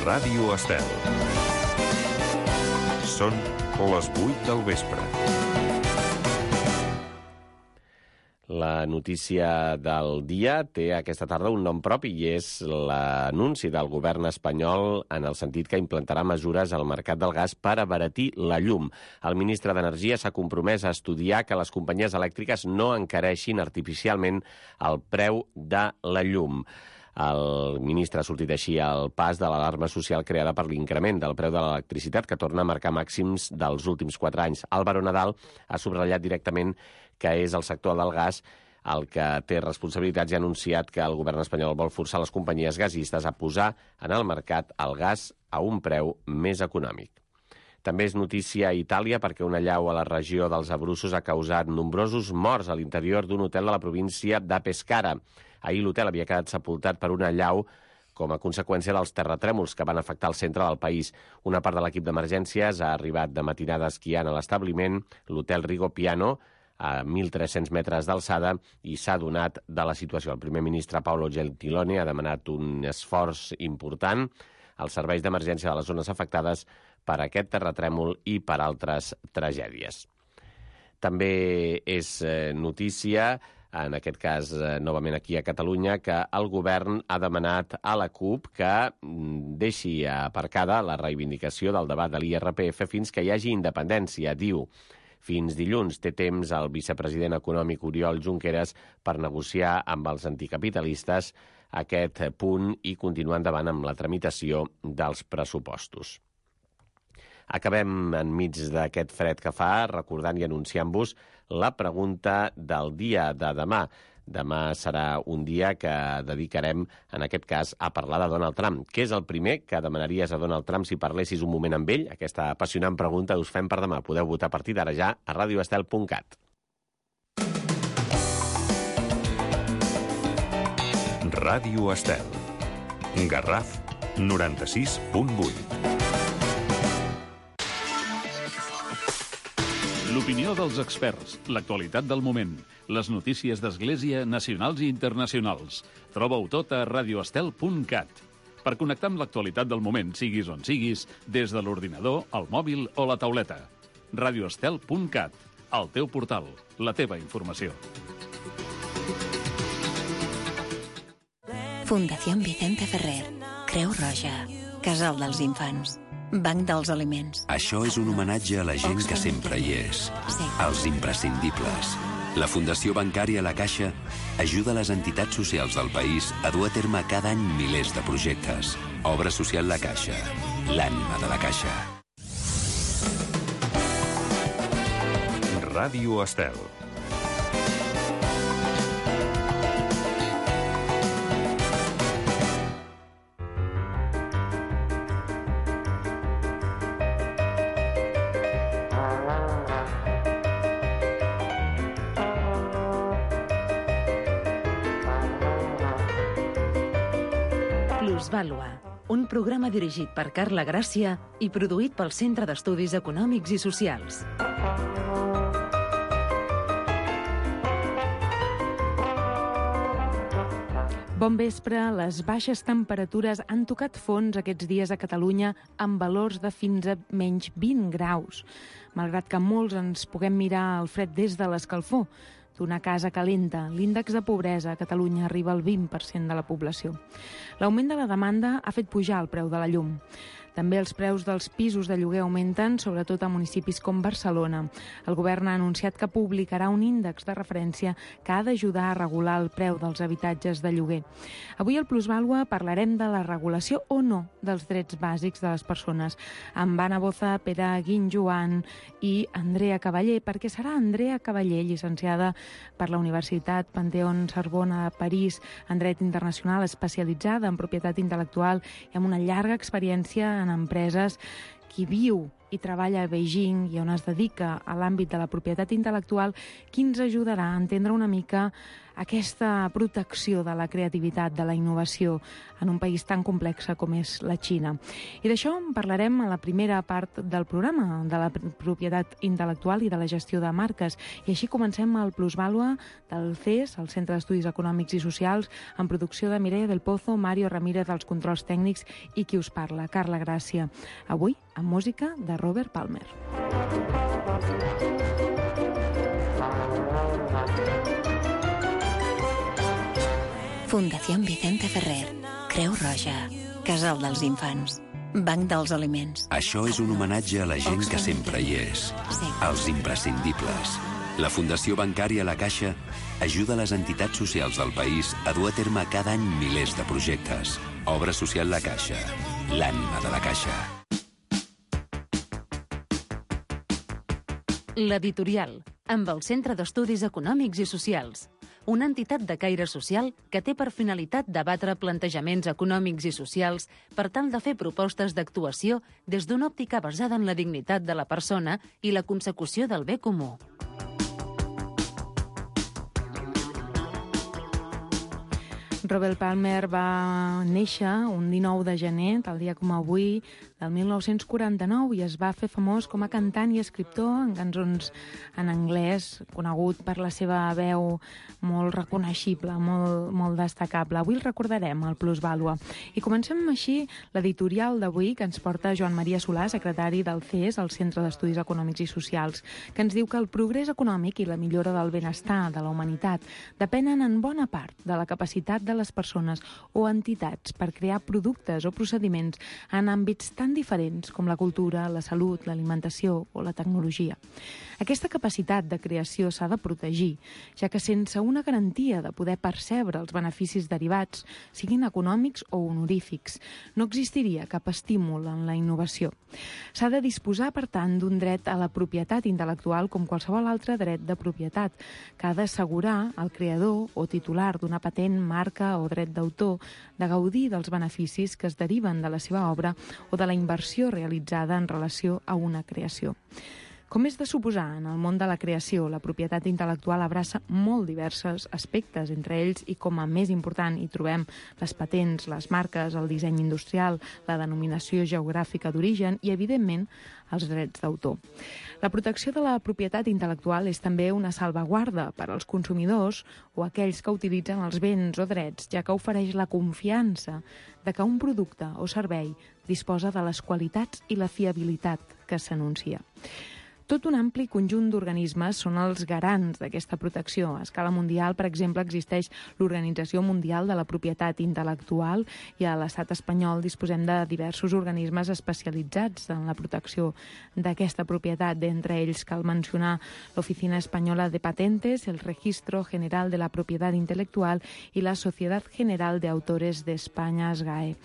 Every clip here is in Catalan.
Ràdio Estel. Són les 8 del vespre. La notícia del dia té aquesta tarda un nom propi i és l'anunci del govern espanyol en el sentit que implantarà mesures al mercat del gas per abaratir la llum. El ministre d'Energia s'ha compromès a estudiar que les companyies elèctriques no encareixin artificialment el preu de la llum. El ministre ha sortit així al pas de l'alarma social creada per l'increment del preu de l'electricitat, que torna a marcar màxims dels últims 4 anys. Álvaro Nadal ha subratllat directament que és el sector del gas el que té responsabilitats i ha anunciat que el govern espanyol vol forçar les companyies gasistes a posar en el mercat el gas a un preu més econòmic. També és notícia a Itàlia perquè una allau a la regió dels Abruzos ha causat nombrosos morts a l'interior d'un hotel de la província de Pescara. Ahir l'hotel havia quedat sepultat per una allau com a conseqüència dels terratrèmols que van afectar el centre del país. Una part de l'equip d'emergències ha arribat de matinada esquiant a l'establiment, l'hotel Rigopiano, a 1.300 metres d'alçada, i s'ha adonat de la situació. El primer ministre Paolo Gentiloni ha demanat un esforç important als serveis d'emergència de les zones afectades per aquest terratrèmol i per altres tragèdies. També és notícia, en aquest cas novament aquí a Catalunya, que el govern ha demanat a la CUP que deixi aparcada la reivindicació del debat de l'IRPF fins que hi hagi independència, diu. Fins dilluns té temps el vicepresident econòmic Oriol Junqueras per negociar amb els anticapitalistes aquest punt i continuar endavant amb la tramitació dels pressupostos. Acabem enmig d'aquest fred que fa recordant i anunciant-vos la pregunta del dia de demà. Demà serà un dia que dedicarem, en aquest cas, a parlar de Donald Trump. Què és el primer que demanaries a Donald Trump si parlessis un moment amb ell? Aquesta apassionant pregunta us fem per demà. Podeu votar a partir d'ara ja a radioestel.cat. Ràdio Estel. Garraf 96.8. L'opinió dels experts, l'actualitat del moment, les notícies d'Església nacionals i internacionals. Troba-ho tot a radioestel.cat. Per connectar amb l'actualitat del moment, siguis on siguis, des de l'ordinador, el mòbil o la tauleta. radioestel.cat, el teu portal, la teva informació. Fundación Vicente Ferrer, Creu Roja, Casal dels Infants, Banc dels Aliments. Això és un homenatge a la gent que sempre hi és, als imprescindibles. La Fundació Bancària La Caixa ajuda les entitats socials del país a dur a terme cada any milers de projectes. Obra social La Caixa, l'ànima de la Caixa. Ràdio Estel. Plusvàlua, un programa dirigit per Carla Gràcia i produït pel Centre d'Estudis Econòmics i Socials. Bon vespre. Les baixes temperatures han tocat fons aquests dies a Catalunya amb valors de fins a menys 20 graus. Malgrat que molts ens puguem mirar el fred des de l'escalfor d'una casa calenta, l'índex de pobresa a Catalunya arriba al 20% de la població. L'augment de la demanda ha fet pujar el preu de la llum. També els preus dels pisos de lloguer augmenten, sobretot a municipis com Barcelona. El govern ha anunciat que publicarà un índex de referència que ha d'ajudar a regular el preu dels habitatges de lloguer. Avui al Plusvàlua parlarem de la regulació o no dels drets bàsics de les persones amb Anna Boza, Pere Guinjoan i Andrea Cavaller, perquè serà Andrea Cavaller, llicenciada per la Universitat Panthéon-Sorbona de París en dret internacional, especialitzada en propietat intel·lectual i amb una llarga experiència en empreses, qui viu i treballa a Beijing i on es dedica a l'àmbit de la propietat intel·lectual, qui ens ajudarà a entendre una mica aquesta protecció de la creativitat, de la innovació en un país tan complex com és la Xina. I d'això en parlarem a la primera part del programa, de la propietat intel·lectual i de la gestió de marques. I així comencem el Plusvàlua del CES, el Centre d'Estudis Econòmics i Socials, en producció de Mireia del Pozo, Mario Ramírez als controls tècnics i qui us parla, Carla Gràcia. Avui, amb música de Robert Palmer. Fundació Vicente Ferrer, Creu Roja, Casal dels Infants, Banc dels Aliments. Això és un homenatge a la gent que sempre hi és, als imprescindibles. La Fundació Bancària La Caixa ajuda les entitats socials del país a dur a terme cada any milers de projectes. Obra social La Caixa, l'ànima de la Caixa. L'Editorial, amb el Centre d'Estudis Econòmics i Socials, una entitat de caire social que té per finalitat debatre plantejaments econòmics i socials per tal de fer propostes d'actuació des d'una òptica basada en la dignitat de la persona i la consecució del bé comú. Robert Palmer va néixer un 19 de gener, tal dia com avui, del 1949, i es va fer famós com a cantant i escriptor en cançons en anglès, conegut per la seva veu molt reconeixible, molt destacable. Avui el recordarem, el Plusvàlua. I comencem així l'editorial d'avui que ens porta Joan Maria Solà, secretari del CES, el Centre d'Estudis Econòmics i Socials, que ens diu que el progrés econòmic i la millora del benestar de la humanitat depenen en bona part de la capacitat de les persones o entitats per crear productes o procediments en àmbits tan diferents com la cultura, la salut, l'alimentació o la tecnologia. Aquesta capacitat de creació s'ha de protegir, ja que sense una garantia de poder percebre els beneficis derivats, siguin econòmics o honorífics, no existiria cap estímul en la innovació. S'ha de disposar, per tant, d'un dret a la propietat intel·lectual com qualsevol altre dret de propietat, que ha d'assegurar al creador o titular d'una patent, marca o dret d'autor de gaudir dels beneficis que es deriven de la seva obra o de la inversió realitzada en relació a una creació. Com és de suposar, en el món de la creació, la propietat intel·lectual abraça molt diversos aspectes, entre ells, i com a més important, hi trobem les patents, les marques, el disseny industrial, la denominació geogràfica d'origen i, evidentment, els drets d'autor. La protecció de la propietat intel·lectual és també una salvaguarda per als consumidors o aquells que utilitzen els béns o drets, ja que ofereix la confiança de que un producte o servei disposa de les qualitats i la fiabilitat que s'anuncia. Tot un ampli conjunt d'organismes són els garants d'aquesta protecció. A escala mundial, per exemple, existeix l'Organització Mundial de la Propietat Intel·lectual i a l'estat espanyol disposem de diversos organismes especialitzats en la protecció d'aquesta propietat. D'entre ells cal mencionar l'Oficina Espanyola de Patentes, el Registro General de la Propiedad Intelectual i la Sociedad General de Autores de España, SGAE.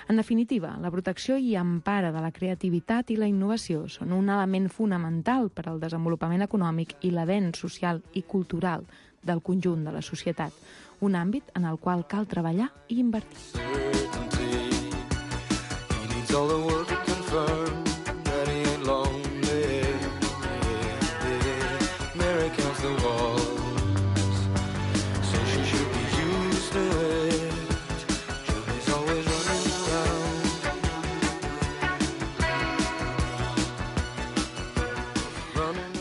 En definitiva, la protecció i empara de la creativitat i la innovació són un element fonamental per al desenvolupament econòmic i l'avenç social i cultural del conjunt de la societat, un àmbit en el qual cal treballar i invertir.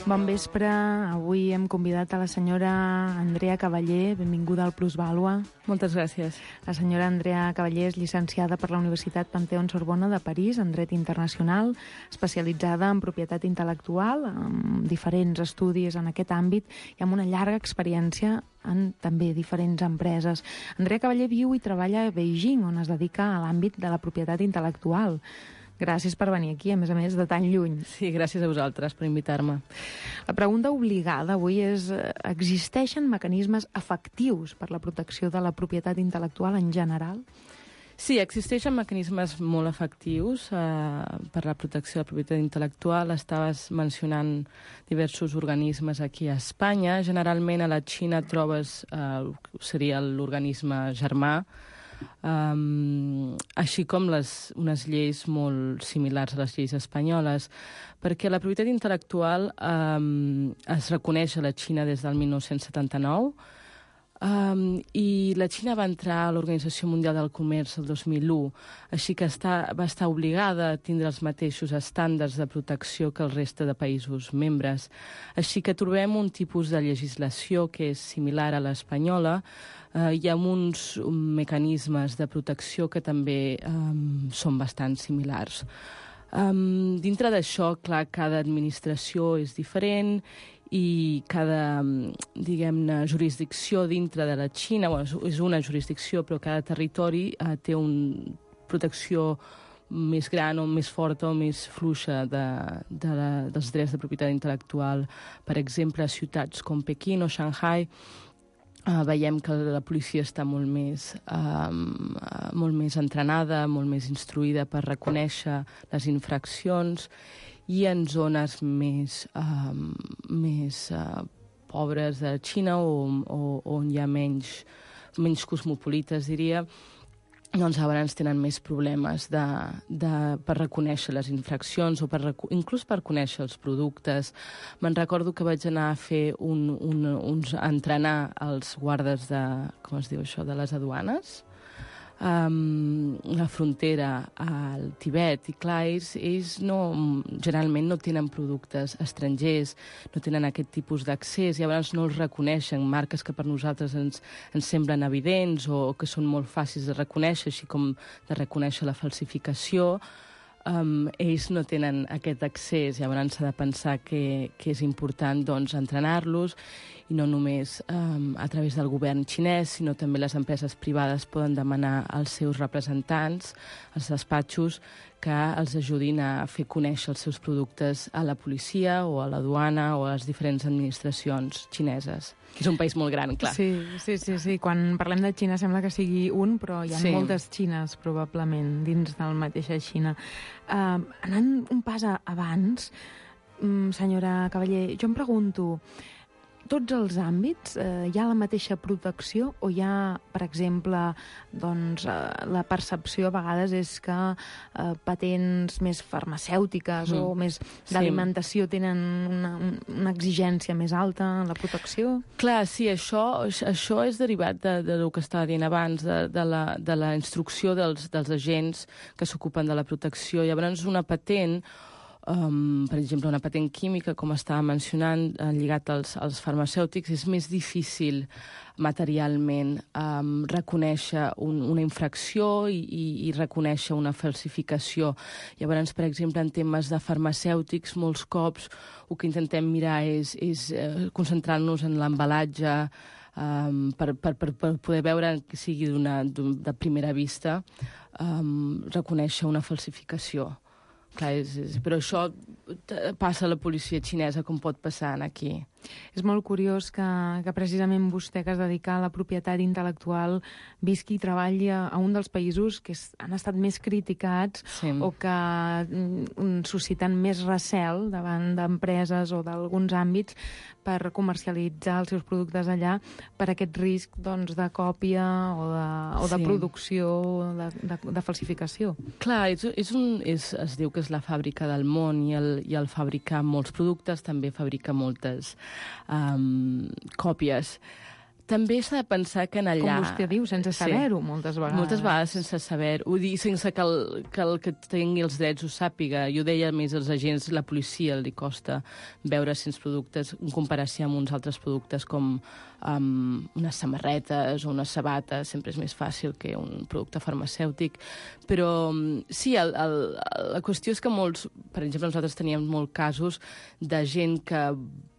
Bon vespre. Avui hem convidat a la senyora Andrea Cavallé. Benvinguda al Plusvàlua. Moltes gràcies. La senyora Andrea Cavallé és llicenciada per la Universitat Panthéon-Sorbona de París en dret internacional, especialitzada en propietat intel·lectual, amb diferents estudis en aquest àmbit i amb una llarga experiència en també diferents empreses. Andrea Cavallé viu i treballa a Beijing, on es dedica a l'àmbit de la propietat intel·lectual. Gràcies per venir aquí, a més de tan lluny. Sí, gràcies a vosaltres per invitar-me. La pregunta obligada avui és: existeixen mecanismes efectius per la protecció de la propietat intel·lectual en general? Sí, existeixen mecanismes molt efectius per la protecció de la propietat intel·lectual. Estaves mencionant diversos organismes aquí a Espanya. Generalment a la Xina trobes, seria l'organisme germà, així com unes lleis molt similars a les lleis espanyoles, perquè la propietat intel·lectual es reconeix a la Xina des del 1979, I la Xina va entrar a l'Organització Mundial del Comerç el 2001, així que va estar obligada a tindre els mateixos estàndards de protecció que el reste de països membres. Així que trobem un tipus de legislació que és similar a l'espanyola, i amb uns mecanismes de protecció que també són bastant similars. Dintre d'això, clar, cada administració és diferent i cada, diguem-ne, jurisdicció dintre de la Xina, és una jurisdicció, però cada territori té una protecció més gran o més forta o més fluixa dels drets de propietat intel·lectual. Per exemple, a ciutats com Pequín o Shanghai, veiem que la policia està molt més entrenada, molt més instruïda per reconèixer les infraccions, i en zones més pobres de Xina o on hi ha menys cosmopolites, diria, doncs llavors tenen més problemes per reconèixer les infraccions o inclús per conèixer els productes. Me'n recordo que vaig anar a fer entrenar els guardes de les aduanes, la frontera al Tibet, i clar, ells generalment no tenen productes estrangers, no tenen aquest tipus d'accés, i llavors no els reconeixen, marques que per nosaltres ens semblen evidents o que són molt fàcils de reconèixer, així com de reconèixer la falsificació. Ells no tenen aquest accés, llavors s'ha de pensar que és important entrenar-los, i no només a través del govern xinès, sinó també les empreses privades poden demanar als seus representants, als despatxos, que els ajudin a fer conèixer els seus productes a la policia o a la duana o a les diferents administracions xineses. És un país molt gran, clar. Sí. Quan parlem de Xina sembla que sigui un, però hi ha moltes Xines, probablement, dins de la mateixa Xina. Anant un pas abans, senyora Cavaller, jo em pregunto, tots els àmbits hi ha la mateixa protecció o hi ha, per exemple, la percepció a vegades és que patents més farmacèutiques o més d'alimentació tenen una exigència més alta en la protecció? Clar, sí, això és derivat del que estava dient abans, de la instrucció dels agents que s'ocupen de la protecció. Llavors, una patent, per exemple, una patent química, com estava mencionant, lligat als farmacèutics, és més difícil materialment reconèixer una infracció i reconèixer una falsificació. Llavors, per exemple, en temes de farmacèutics, molts cops el que intentem mirar és concentrar-nos en l'embalatge per poder veure que sigui de primera vista reconèixer una falsificació. Clar, però això passa a la policia xinesa com pot passar aquí. És molt curiós que precisament vostè, que es dedica a la propietat intel·lectual, visqui i treballi a un dels països que han estat més criticats o que susciten més recel davant d'empreses o d'alguns àmbits per comercialitzar els seus productes allà per aquest risc de còpia o de producció, de falsificació. Clar, es diu que és la fàbrica del món i el fabricar molts productes també fabrica moltes còpies. També s'ha de pensar que en allà... Com vostè diu, sense saber-ho, moltes vegades. Moltes vegades sense saber-ho. Ho dic sense que el que tingui els drets ho sàpiga. Jo deia més als agents, la policia li costa veure si els productes, en comparació amb uns altres productes com unes samarretes o unes sabates, sempre és més fàcil que un producte farmacèutic. Però sí, la qüestió és que molts... Per exemple, nosaltres teníem molts casos de gent que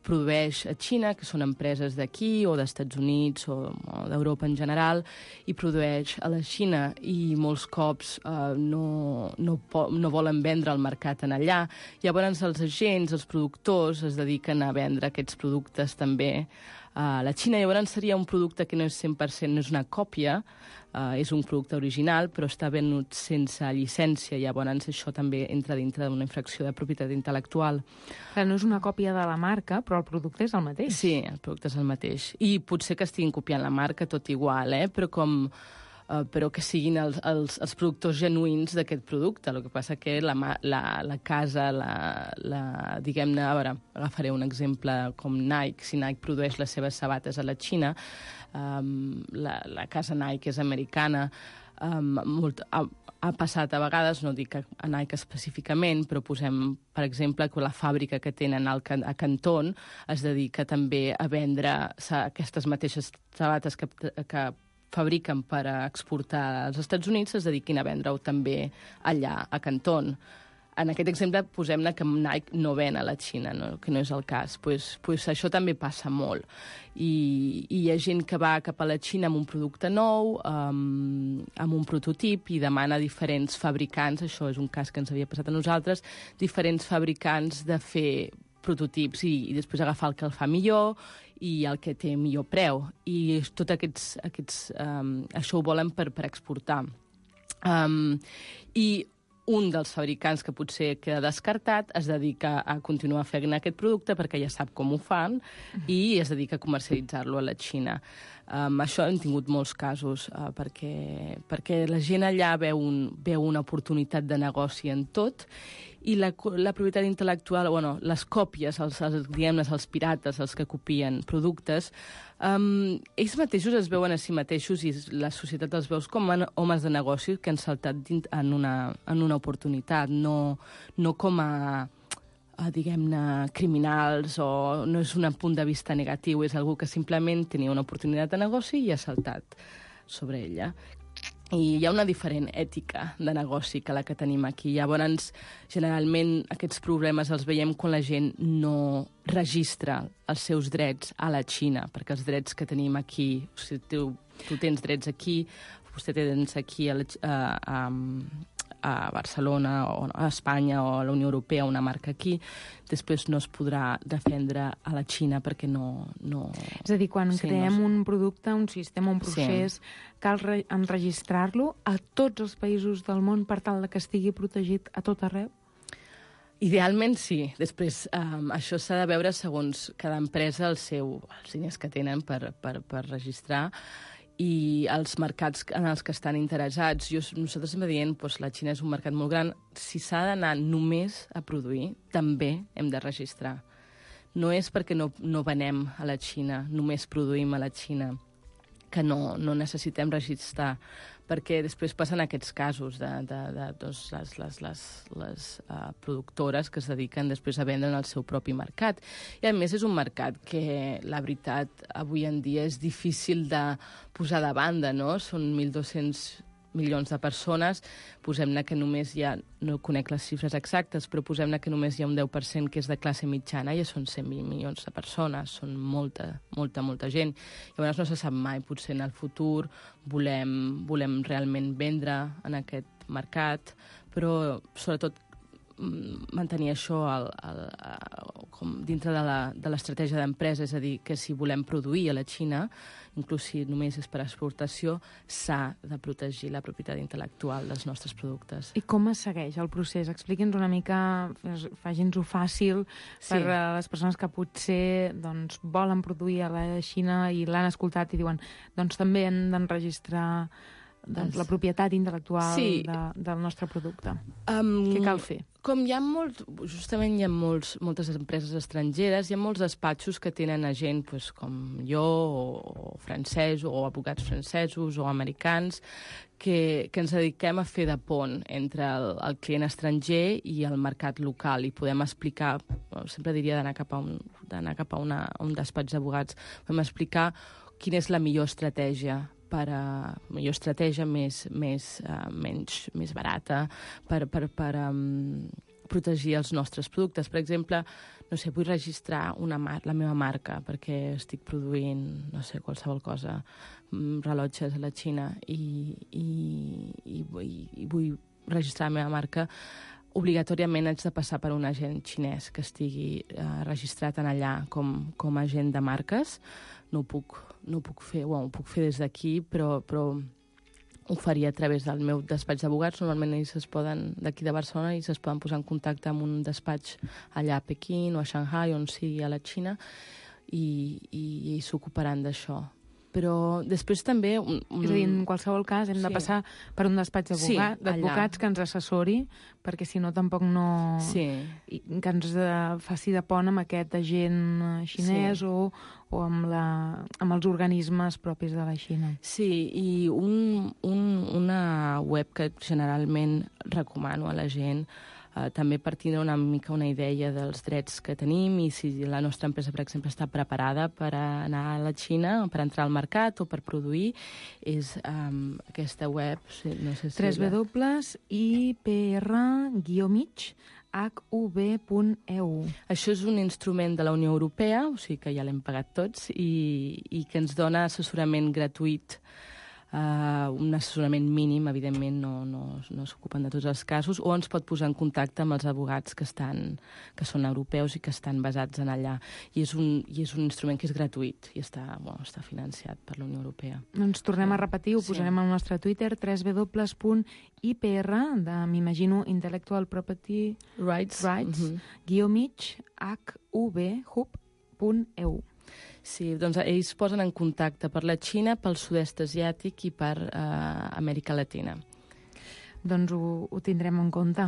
produeix a Xina, que són empreses d'aquí o dels Estats Units o d'Europa en general, i produeix a la Xina i molts cops no volen vendre al mercat en allà. Llavors els agents, els productors, es dediquen a vendre aquests productes també a la Xina. Llavors seria un producte que no és 100%, no és una còpia, és un producte original, però està venut sense llicència. Llavors això també entra dintre d'una infracció de propietat intel·lectual. No és una còpia de la marca, però el producte és el mateix. Sí, el producte és el mateix. I potser que estiguin copiant la marca tot igual, però com però que siguin els productors genuïns d'aquest producte. El que passa que la casa, diguem-ne, a veure, agafaré un exemple com Nike. Si Nike produeix les seves sabates a la Xina, la casa Nike és americana, ha passat a vegades, no dic a Nike específicament, però posem, per exemple, que la fàbrica que tenen a Canton es dedica també a vendre aquestes mateixes sabates que fabriquen per exportar als Estats Units, es dediquin a vendre-ho també allà a Canton. En aquest exemple, posem-ne que Nike no ven a la Xina, no? Que no és el cas. Pues això també passa molt. I hi ha gent que va cap a la Xina amb un producte nou, amb un prototip, i demana a diferents fabricants, això és un cas que ens havia passat a nosaltres, diferents fabricants de fer prototips i després agafar el que el fa millor i el que té millor preu. I tot això ho volen per exportar. I un dels fabricants que potser queda descartat es dedica a continuar fent aquest producte perquè ja sap com ho fan i es dedica a comercialitzar-lo a la Xina. Això hem tingut molts casos perquè la gent allà veu una oportunitat de negoci en tot i la propietat intel·lectual, les còpies, els pirates, els que copien productes, ells mateixos es veuen a si mateixos i la societat els veus com homes de negoci que han saltat en una oportunitat, no com a diguem-ne, criminals, o no és un punt de vista negatiu, és algú que simplement tenia una oportunitat de negoci i ha saltat sobre ella. I hi ha una diferent ètica de negoci que la que tenim aquí. Llavors, generalment, aquests problemes els veiem quan la gent no registra els seus drets a la Xina, perquè els drets que tenim aquí, si tu tens drets aquí, vostè té drets aquí a Barcelona o a Espanya o a la Unió Europea, una marca aquí, després no es podrà defendre a la Xina perquè no... És a dir, quan creem un producte, un sistema, un procés, cal enregistrar-lo a tots els països del món per tal que estigui protegit a tot arreu? Idealment sí. Després, això s'ha de veure segons cada empresa els diners que tenen per registrar i els mercats en els que estan interessats. Nosaltres hem dient que la Xina és un mercat molt gran. Si s'ha d'anar només a produir, també hem de registrar. No és perquè no venem a la Xina, només produïm a la Xina, que no necessitem registrar, perquè després passen aquests casos de les productores que es dediquen després a vendre en el seu propi mercat. I, a més, és un mercat que, la veritat, avui en dia és difícil de posar de banda, no? Són 1.200 milions de persones, posem-ne que només hi ha, no conec les xifres exactes, però posem-ne que només hi ha un 10% que és de classe mitjana, ja són 100 milions de persones, són molta gent. Llavors no se sap mai, potser en el futur volem realment vendre en aquest mercat, però sobretot mantenir això com dintre de l'estratègia d'empresa, és a dir, que si volem produir a la Xina, inclús si només és per exportació, s'ha de protegir la propietat intel·lectual dels nostres productes. I com es segueix el procés? Expliqui'ns una mica, faci'ns-ho fàcil per a les persones que potser volen produir a la Xina i l'han escoltat i diuen també han d'enregistrar la propietat intel·lectual del nostre producte. Què cal fer? Com hi ha moltes empreses estrangeres, hi ha molts despatxos que tenen a gent com jo, o francesos, o advocats francesos, o americans, que ens dediquem a fer de pont entre el client estranger i el mercat local, i podem explicar, sempre diria d'anar cap a un despatx d'advocats, podem explicar quina és la millor estratègia més barata per protegir els nostres productes. Per exemple, vull registrar la meva marca perquè estic produint, qualsevol cosa, rellotges a la Xina i vull registrar la meva marca. Obligatòriament haig de passar per un agent xinès que estigui registrat en allà com a agent de marques. No ho puc fer, ho puc fer des d'aquí, però ho faria a través del meu despatx d'advocats. Normalment ells d'aquí de Barcelona, ells es poden posar en contacte amb un despatx allà a Pequín o a Shanghai, on sigui a la Xina, i s'ocuparan d'això. Però després també... És a dir, en qualsevol cas hem de passar per un despatx d'advocats que ens assessori, perquè si no tampoc no... que ens faci de pont amb aquest agent xinès o amb els organismes propis de la Xina. Sí, i una web que generalment recomano a la gent, també per tindre una mica una idea dels drets que tenim i si la nostra empresa, per exemple, està preparada per anar a la Xina, per entrar al mercat o per produir, és aquesta web, no sé si... www.ipr-hub.eu. Això és un instrument de la Unió Europea, o sigui que ja l'hem pagat tots, i que ens dona assessorament gratuït, un assessorament mínim, evidentment no s'ocupen de tots els casos, o ens pot posar en contacte amb els advocats que són europeus i que estan basats en allà. I és un instrument que és gratuït i està financiat per la Unió Europea. Doncs tornem a repetir, ho posarem al nostre Twitter, www.ipr, m'imagino Intellectual Property Rights, _hub.eu. Sí, doncs ells posen en contacte per la Xina, pel sud-est asiàtic i per Amèrica Latina. Doncs ho tindrem en compte.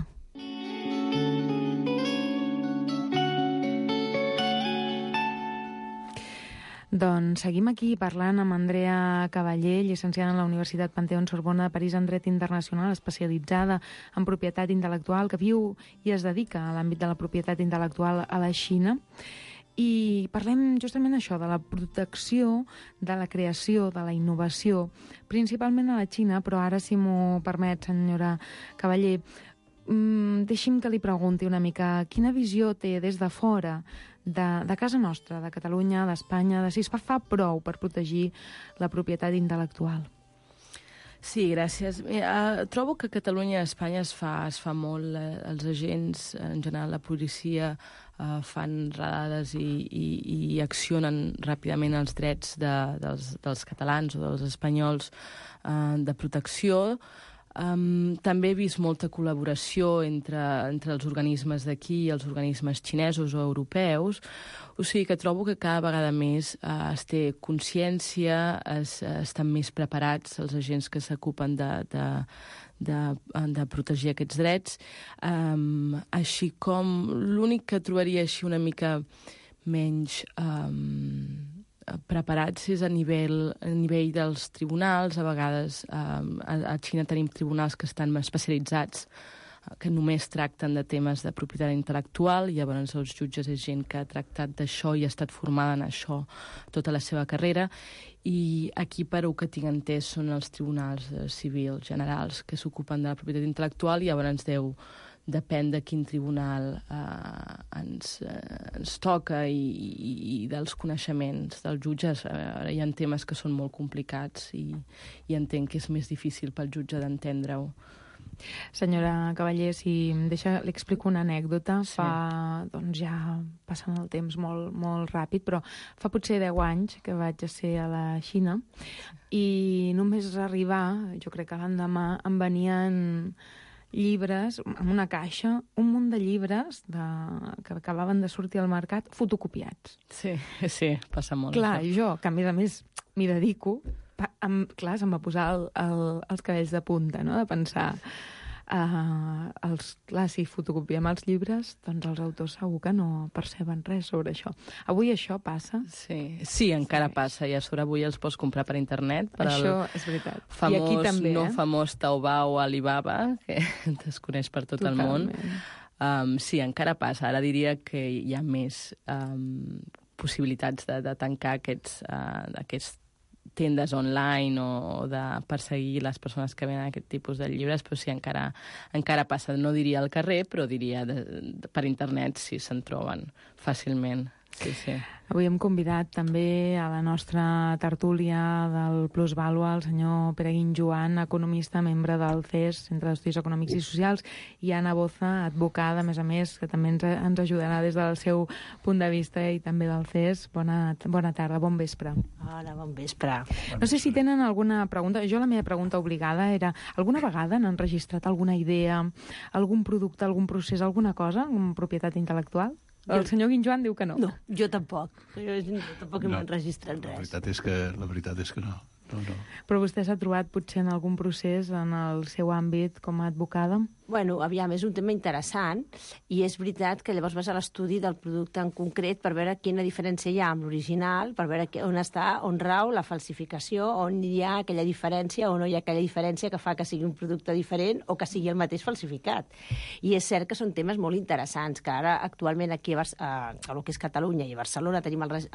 Doncs seguim aquí parlant amb Andrea Cavallé, llicenciada en la Universitat Panteón-Sorbona de París en Dret Internacional, especialitzada en propietat intel·lectual, que viu i es dedica a l'àmbit de la propietat intel·lectual a la Xina. I parlem justament això, de la protecció, de la creació, de la innovació, principalment a la Xina, però ara, si m'ho permet, senyora Cavallé, deixi'm que li pregunti una mica quina visió té des de fora de casa nostra, de Catalunya, d'Espanya, de si es fa prou per protegir la propietat intel·lectual. Sí, gràcies. Trobo que a Catalunya i a Espanya es fa molt. Els agents, en general la policia, fan radades i accionen ràpidament els drets dels catalans o dels espanyols de protecció. També he vist molta col·laboració entre els organismes d'aquí i els organismes xinesos o europeus, o sigui que trobo que cada vegada més es té consciència, estan més preparats els agents que s'ocupen de protegir aquests drets, així com l'únic que trobaria així una mica menys preparats és a nivell dels tribunals. A vegades a Xina tenim tribunals que estan especialitzats, que només tracten de temes de propietat intel·lectual, i llavors els jutges és gent que ha tractat d'això i ha estat formada en això tota la seva carrera, i aquí, per el que tinc entès, són els tribunals civils generals que s'ocupen de la propietat intel·lectual, i llavors depèn de quin tribunal ens toca i dels coneixements dels jutges. Hi ha temes que són molt complicats i entenc que és més difícil pel jutge d'entendre-ho. Senyora Cavallé, si em deixa, li explico una anècdota. Sí. Doncs ja passant el temps molt ràpid, però fa potser 10 anys que vaig a ser a la Xina i només arribar, jo crec que l'endemà, em venien llibres, en una caixa, un munt de llibres que acabaven de sortir al mercat fotocopiats. Sí, passa molt. Clar, jo, que a més m'hi dedico, clar, se'm va posar els cabells de punta, no?, de pensar, si fotocopiem els llibres, doncs els autors segur que no perceben res sobre això. Avui això passa? Sí, encara passa, i a sobre avui els pots comprar per internet. Això és veritat. I aquí també, famós Taobao, Alibaba, que es coneix per tot el món. Sí, encara passa. Ara diria que hi ha més possibilitats de tancar aquests tendes online o de perseguir les persones que venen aquest tipus de llibres, però sí, encara passa. No diria al carrer, però diria per internet, si se'n troben fàcilment. Sí. Avui hem convidat també a la nostra tertúlia del Plusvàlua el senyor Pere Guinjoan, economista, membre del CES, Centre d'Estudis Econòmics i Socials, i Anna Boza, advocada, a més, que també ens ajudarà des del seu punt de vista i també del CES. Bona tarda, bon vespre. Hola, bon vespre. No sé si tenen alguna pregunta. Jo la meva pregunta obligada era, alguna vegada han enregistrat alguna idea, algun producte, algun procés, alguna cosa, amb propietat intel·lectual? El senyor Guinjoan diu que no. No, jo tampoc. Jo tampoc m'he enregistrat res. La veritat és que no. No. Però vostè s'ha trobat potser en algun procés en el seu àmbit com a advocada? Bueno, aviam, és un tema interessant i és veritat que llavors vas a l'estudi del producte en concret per veure quina diferència hi ha amb l'original, per veure on rau la falsificació, on hi ha aquella diferència o no hi ha aquella diferència que fa que sigui un producte diferent o que sigui el mateix falsificat. I és cert que són temes molt interessants, que ara actualment aquí a el que és Catalunya i a Barcelona tenim els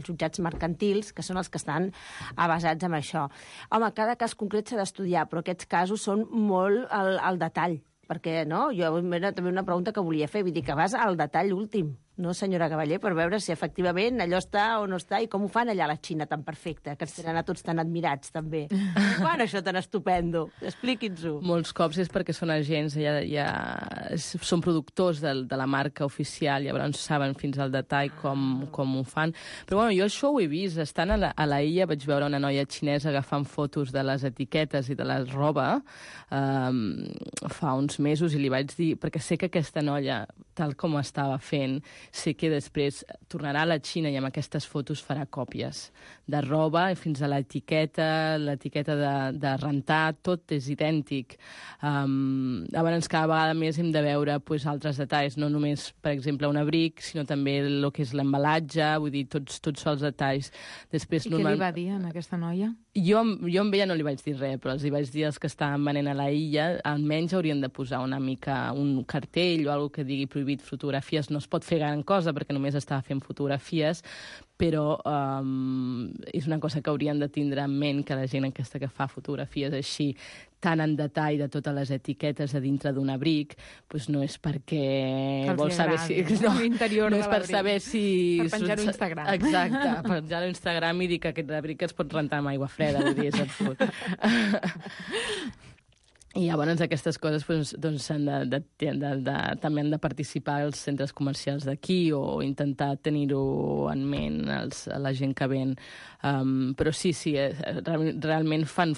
jutjats mercantils, que són els que estan basats en això. Home, cada cas concret s'ha d'estudiar, però aquests casos són molt al detall. Perquè, no, jo era també una pregunta que volia fer, vull dir que vas al detall últim, no, senyora Cavaller, per veure si efectivament allò està o no està i com ho fan allà a la Xina tan perfecte, que ens tenen a tots tan admirats, també. Quan això tan estupendo? Expliqui'ns-ho. Molts cops és perquè són agents, són productors de la marca oficial, llavors saben fins al detall com ho fan. Però bueno, jo això ho he vist. Estant a la illa vaig veure una noia xinesa agafant fotos de les etiquetes i de la roba fa uns mesos i li vaig dir, perquè sé que aquesta noia, tal com estava fent, sé que després tornarà a la Xina i amb aquestes fotos farà còpies de roba fins a l'etiqueta de rentar, tot és idèntic. Llavors cada vegada més hem de veure altres detalls, no només, per exemple, un abric, sinó també el que és l'embalatge, vull dir, tots els detalls. Després, I què li va dir a aquesta noia? Jo amb ella no li vaig dir res, però els hi vaig dir als que estaven venent a la illa, almenys haurien de posar una mica un cartell o alguna que digui prohibit fotografies. No es pot fer gran cosa perquè només estava fent fotografies, però és una cosa que haurien de tindre en ment, que la gent aquesta que fa fotografies així tan en detall de totes les etiquetes a dintre d'un abric, doncs no és perquè vol saber si... No és per saber si... Per penjar-ho a Instagram. Exacte, per penjar-ho a Instagram i dir que aquest abric es pot rentar amb aigua freda, vull dir, és absurd. I llavors aquestes coses també han de participar els centres comercials d'aquí o intentar tenir-ho en ment la gent que ven. Però sí, realment fan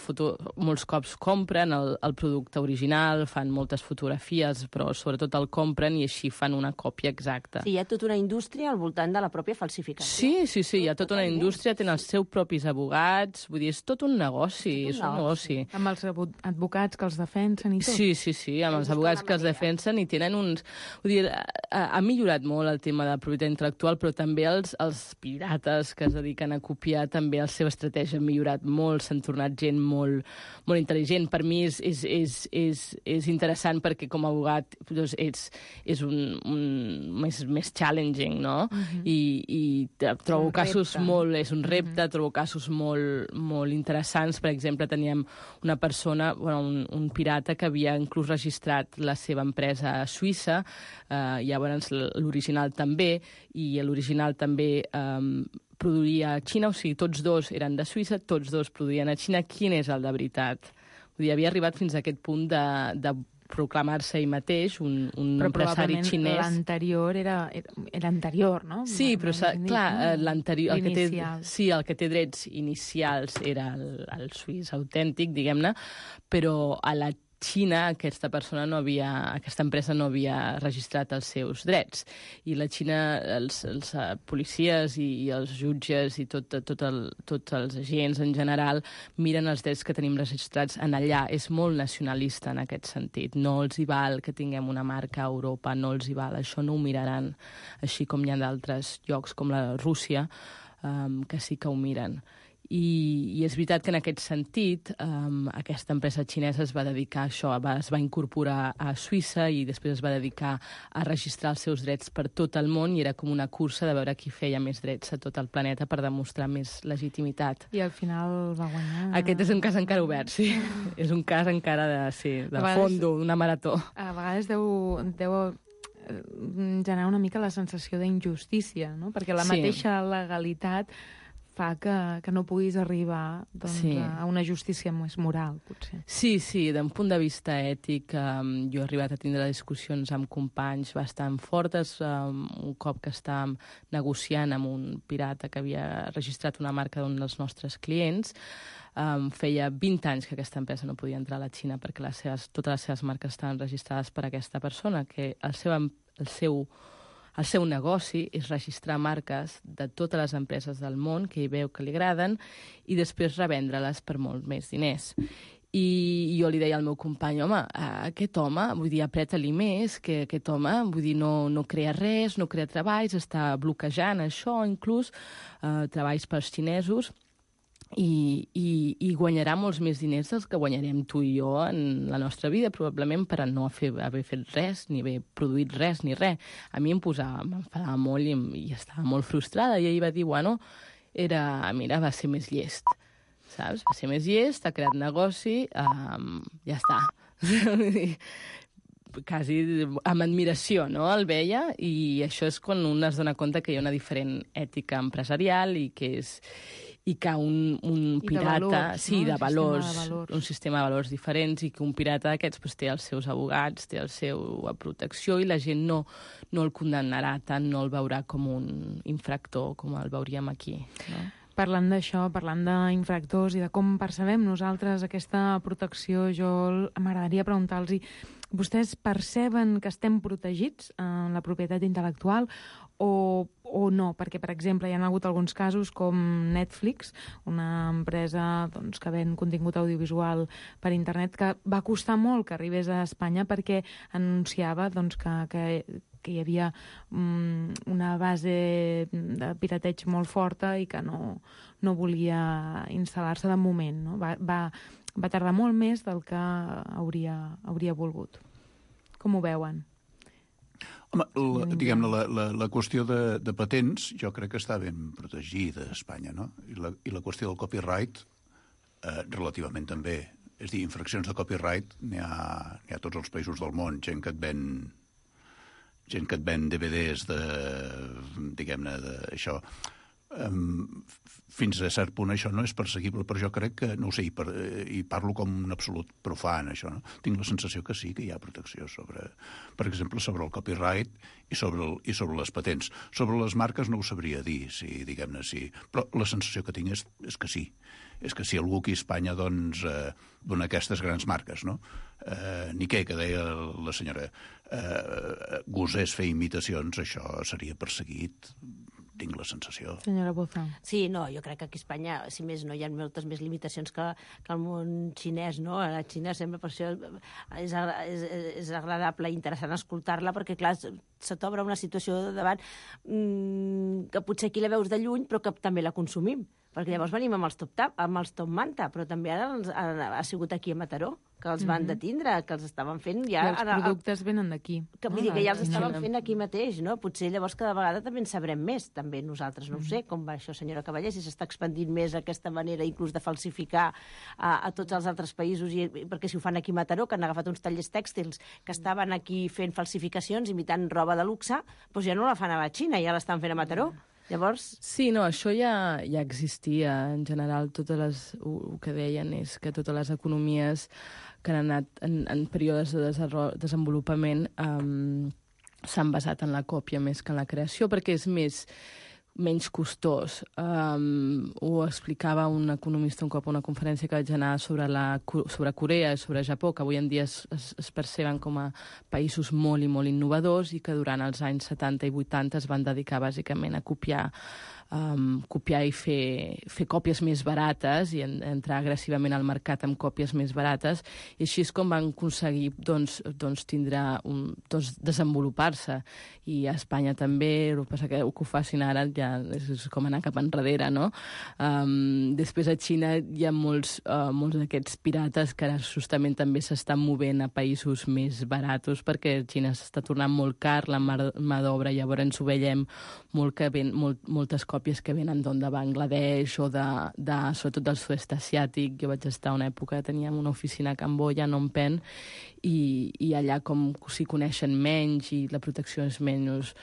molts cops compren el producte original, fan moltes fotografies, però sobretot el compren i així fan una còpia exacta. Sí, hi ha tota una indústria al voltant de la pròpia falsificació. Sí, hi ha tota una indústria, tenen els seus propis advocats, vull dir, és tot un negoci, és un negoci. Amb els advocats que els defensen i tot. Sí, amb els advocats que els defensen i tenen uns... Vull dir, ha millorat molt el tema de la propietat intel·lectual, però també els pirates que es dediquen a copiar, també la seva estratègia ha millorat molt, s'han tornat gent molt, molt intel·ligent. Per mi és interessant perquè com a abogat doncs, és més challenging, no? I trobo casos molt... És un repte, trobo casos molt interessants. Per exemple, teníem una persona, un pirata que havia inclús registrat la seva empresa a Suïssa, llavors l'original també, i l'original també produïa a Xina, o sigui, tots dos eren de Suïssa, tots dos produïen a Xina. Quin és el de veritat? Vull dir, havia arribat fins a aquest punt de proclamar-se ell mateix, un empresari xinès. Però l'anterior era anterior, no? Sí, però clar, l'anterior... El que té drets inicials era el suís autèntic, diguem-ne, però a la Xina aquesta empresa no havia registrat els seus drets. I la Xina, els policies i els jutges i tots els agents en general miren els drets que tenim registrats en allà. És molt nacionalista en aquest sentit. No els hi val que tinguem una marca a Europa, no els hi val. Això no ho miraran, així com hi ha d'altres llocs com la Rússia, que sí que ho miren. I és veritat que en aquest sentit aquesta empresa xinesa es va dedicar a això, es va incorporar a Suïssa i després es va dedicar a registrar els seus drets per tot el món i era com una cursa de veure qui feia més drets a tot el planeta per demostrar més legitimitat. I al final va guanyar... Aquest és un cas encara obert, sí. És un cas encara de fondo, una marató. A vegades deu generar una mica la sensació d'injustícia, no? Perquè la mateixa legalitat fa que no puguis arribar a una justícia més moral, potser. Sí, d'un punt de vista ètic, jo he arribat a tindre discussions amb companys bastant fortes, un cop que estàvem negociant amb un pirata que havia registrat una marca d'un dels nostres clients. Feia 20 anys que aquesta empresa no podia entrar a la Xina perquè totes les seves marques estaven registrades per aquesta persona, que el El seu negoci és registrar marques de totes les empreses del món que hi veu que li agraden i després revendre-les per molt més diners. I jo li deia al meu company, home, aquest home, vull dir, apreta-li més, que aquest home, vull dir, no crea res, no crea treballs, està bloquejant això, inclús treballs pels xinesos, i guanyarà molts més diners dels que guanyarem tu i jo en la nostra vida, probablement per no haver fet res, ni haver produït res, ni res. A mi m'enfadava molt i estava molt frustrada, i ell va dir, bueno, mira, va ser més llest. Saps? Va ser més llest, ha creat negoci, ja està. Quasi amb admiració, no?, el veia, i això és quan un es dona compte que hi ha una diferent ètica empresarial i que un pirata... valors, sí, no? de valors, un sistema de valors diferents, i que un pirata d'aquests té els seus abogats, té la seva protecció, i la gent no el condemnarà tant, no el veurà com un infractor, com el veuríem aquí, no? Parlant d'això, parlant d'infractors i de com percebem nosaltres aquesta protecció, m'agradaria preguntar-los, vostès perceben que estem protegits en la propietat intel·lectual o no? Perquè, per exemple, hi ha hagut alguns casos com Netflix, una empresa que ven contingut audiovisual per internet, que va costar molt que arribés a Espanya perquè anunciava que hi havia una base de pirateig molt forta i que no volia instal·lar-se de moment, no? Va tardar molt més del que hauria volgut. Com ho veuen? Home, diguem-ne, la qüestió de patents jo crec que està ben protegida a Espanya, no? I la qüestió del copyright relativament també. És a dir, infraccions de copyright n'hi ha a tots els països del món, gent que et ven DVDs diguem-ne, d'això. Fins a cert punt això no és perseguible, però jo crec que, no ho sé, i parlo com un absolut profan, això, no? Tinc la sensació que sí que hi ha protecció per exemple, sobre el copyright i sobre les patents. Sobre les marques no ho sabria dir, diguem-ne, sí. Però la sensació que tinc és que sí. És que si algú aquí a Espanya, dona aquestes grans marques, no? Nikkei, que deia la senyora, gosés fer imitacions, això seria perseguit, tinc la sensació. Senyora Boza. Sí, no, jo crec que aquí a Espanya, si més no, hi ha moltes més limitacions que al món xinès, no? A la Xina sempre per això és agradable i interessant escoltar-la, perquè, clar, se t'obre una situació davant que potser aquí la veus de lluny, però que també la consumim. Perquè llavors venim amb els top manta, però també ara ha sigut aquí a Mataró, que els van detindre, que els estaven fent ja... I els productes venen d'aquí. Vull dir que ja els estaven fent aquí mateix, no? Potser llavors cada vegada també en sabrem més, també nosaltres, no ho sé, com va això, senyora Cavallé, si s'està expandint més aquesta manera inclús de falsificar a tots els altres països, perquè si ho fan aquí a Mataró, que han agafat uns tallers tèxtils que estaven aquí fent falsificacions, imitant roba de luxe, doncs ja no la fan a la Xina, ja l'estan fent a Mataró. Llavors... Sí, no, això ja existia. En general, el que deien és que totes les economies que han anat en períodes de desenvolupament s'han basat en la còpia més que en la creació, perquè és menys costós. Ho explicava un economista un cop a una conferència que vaig anar sobre Corea i sobre Japó, que avui en dia es perceben com a països molt i molt innovadors i que durant els anys 70 i 80 es van dedicar bàsicament a copiar i fer còpies més barates i entrar agressivament al mercat amb còpies més barates, i així és com van aconseguir desenvolupar-se. I a Espanya també, el que passa que ho facin ara ja és com anar cap enrere, no? Després a Xina hi ha molts d'aquests pirates que ara justament també s'estan movent a països més baratos, perquè a Xina s'està tornant molt car la mà d'obra, llavors ens ho veiem moltes còpies que venen de Bangladesh o sobretot del sud-est asiàtic. Jo vaig estar una època, teníem una oficina a Camboya, a Phnom Penh, i allà com s'hi coneixen menys i la protecció és menys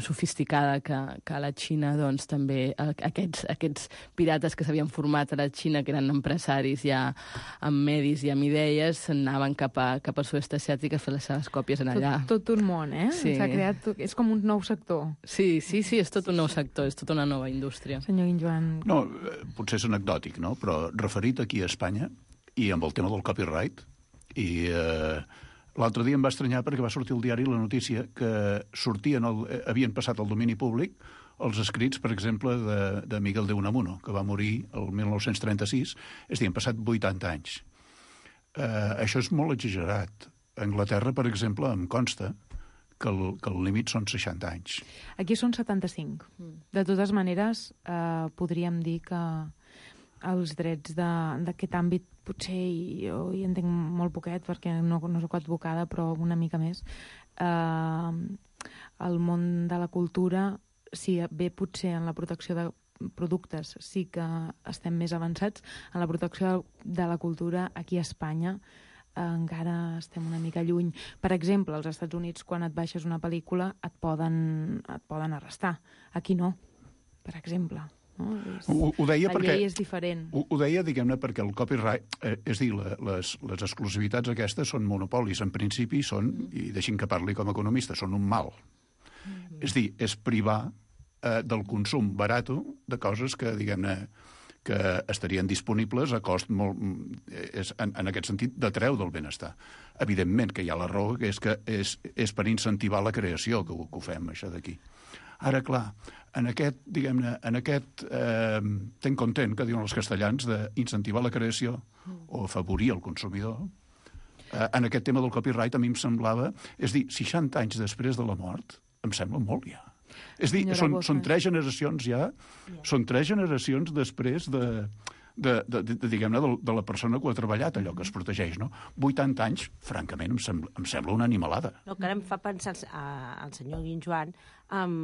sofisticada que a la Xina, doncs també aquests pirates que s'havien format a la Xina, que eren empresaris ja amb medis i amb idees, s'anaven cap al sud-est asiàtic a fer les seves còpies en allà. Tot un món, eh? Sí. S'ha creat... És com un nou sector. Sí, és tot un nou sector, és tota una nova indústria. Senyor Guinjoan... No, potser és anecdòtic, no? Però referit aquí a Espanya, i amb el tema del copyright, i L'altre dia em va estranyar perquè va sortir al diari la notícia que havien passat al domini públic els escrits, per exemple, de Miguel de Unamuno, que va morir el 1936, és a dir, han passat 80 anys. Això és molt exagerat. A Anglaterra, per exemple, em consta que el límit són 60 anys. Aquí són 75. De totes maneres, podríem dir que els drets d'aquest àmbit, potser jo hi entenc molt poquet, perquè no soc advocada, però una mica més. El món de la cultura, si bé potser en la protecció de productes sí que estem més avançats, en la protecció de la cultura aquí a Espanya encara estem una mica lluny. Per exemple, als Estats Units, quan et baixes una pel·lícula, et poden arrestar. Aquí no, per exemple. No? Ho deia la perquè, llei és diferent. Ho deia, diguem-ne, perquè el copyright, és dir, les exclusivitats aquestes són monopolis, en principi són, i deixin que parli com a economista, són un mal. És dir, és privar del consum barat de coses que, diguem-ne, que estarien disponibles a cost molt... en aquest sentit, de treu del benestar. Evidentment que hi ha la raó, que és per incentivar la creació que ho fem, això d'aquí. Ara, clar, en aquest, diguem-ne, ten content, que diuen els castellans, d'incentivar la creació o afavorir el consumidor, en aquest tema del copyright a mi em semblava... És dir, 60 anys després de la mort, em sembla molt ja. És dir, són 3 generacions ja, són 3 generacions després diguem-ne, de la persona que ho ha treballat, allò que es protegeix, no? 80 anys, francament, em sembla una animalada. No, que ara em fa pensar el senyor Guinjoan amb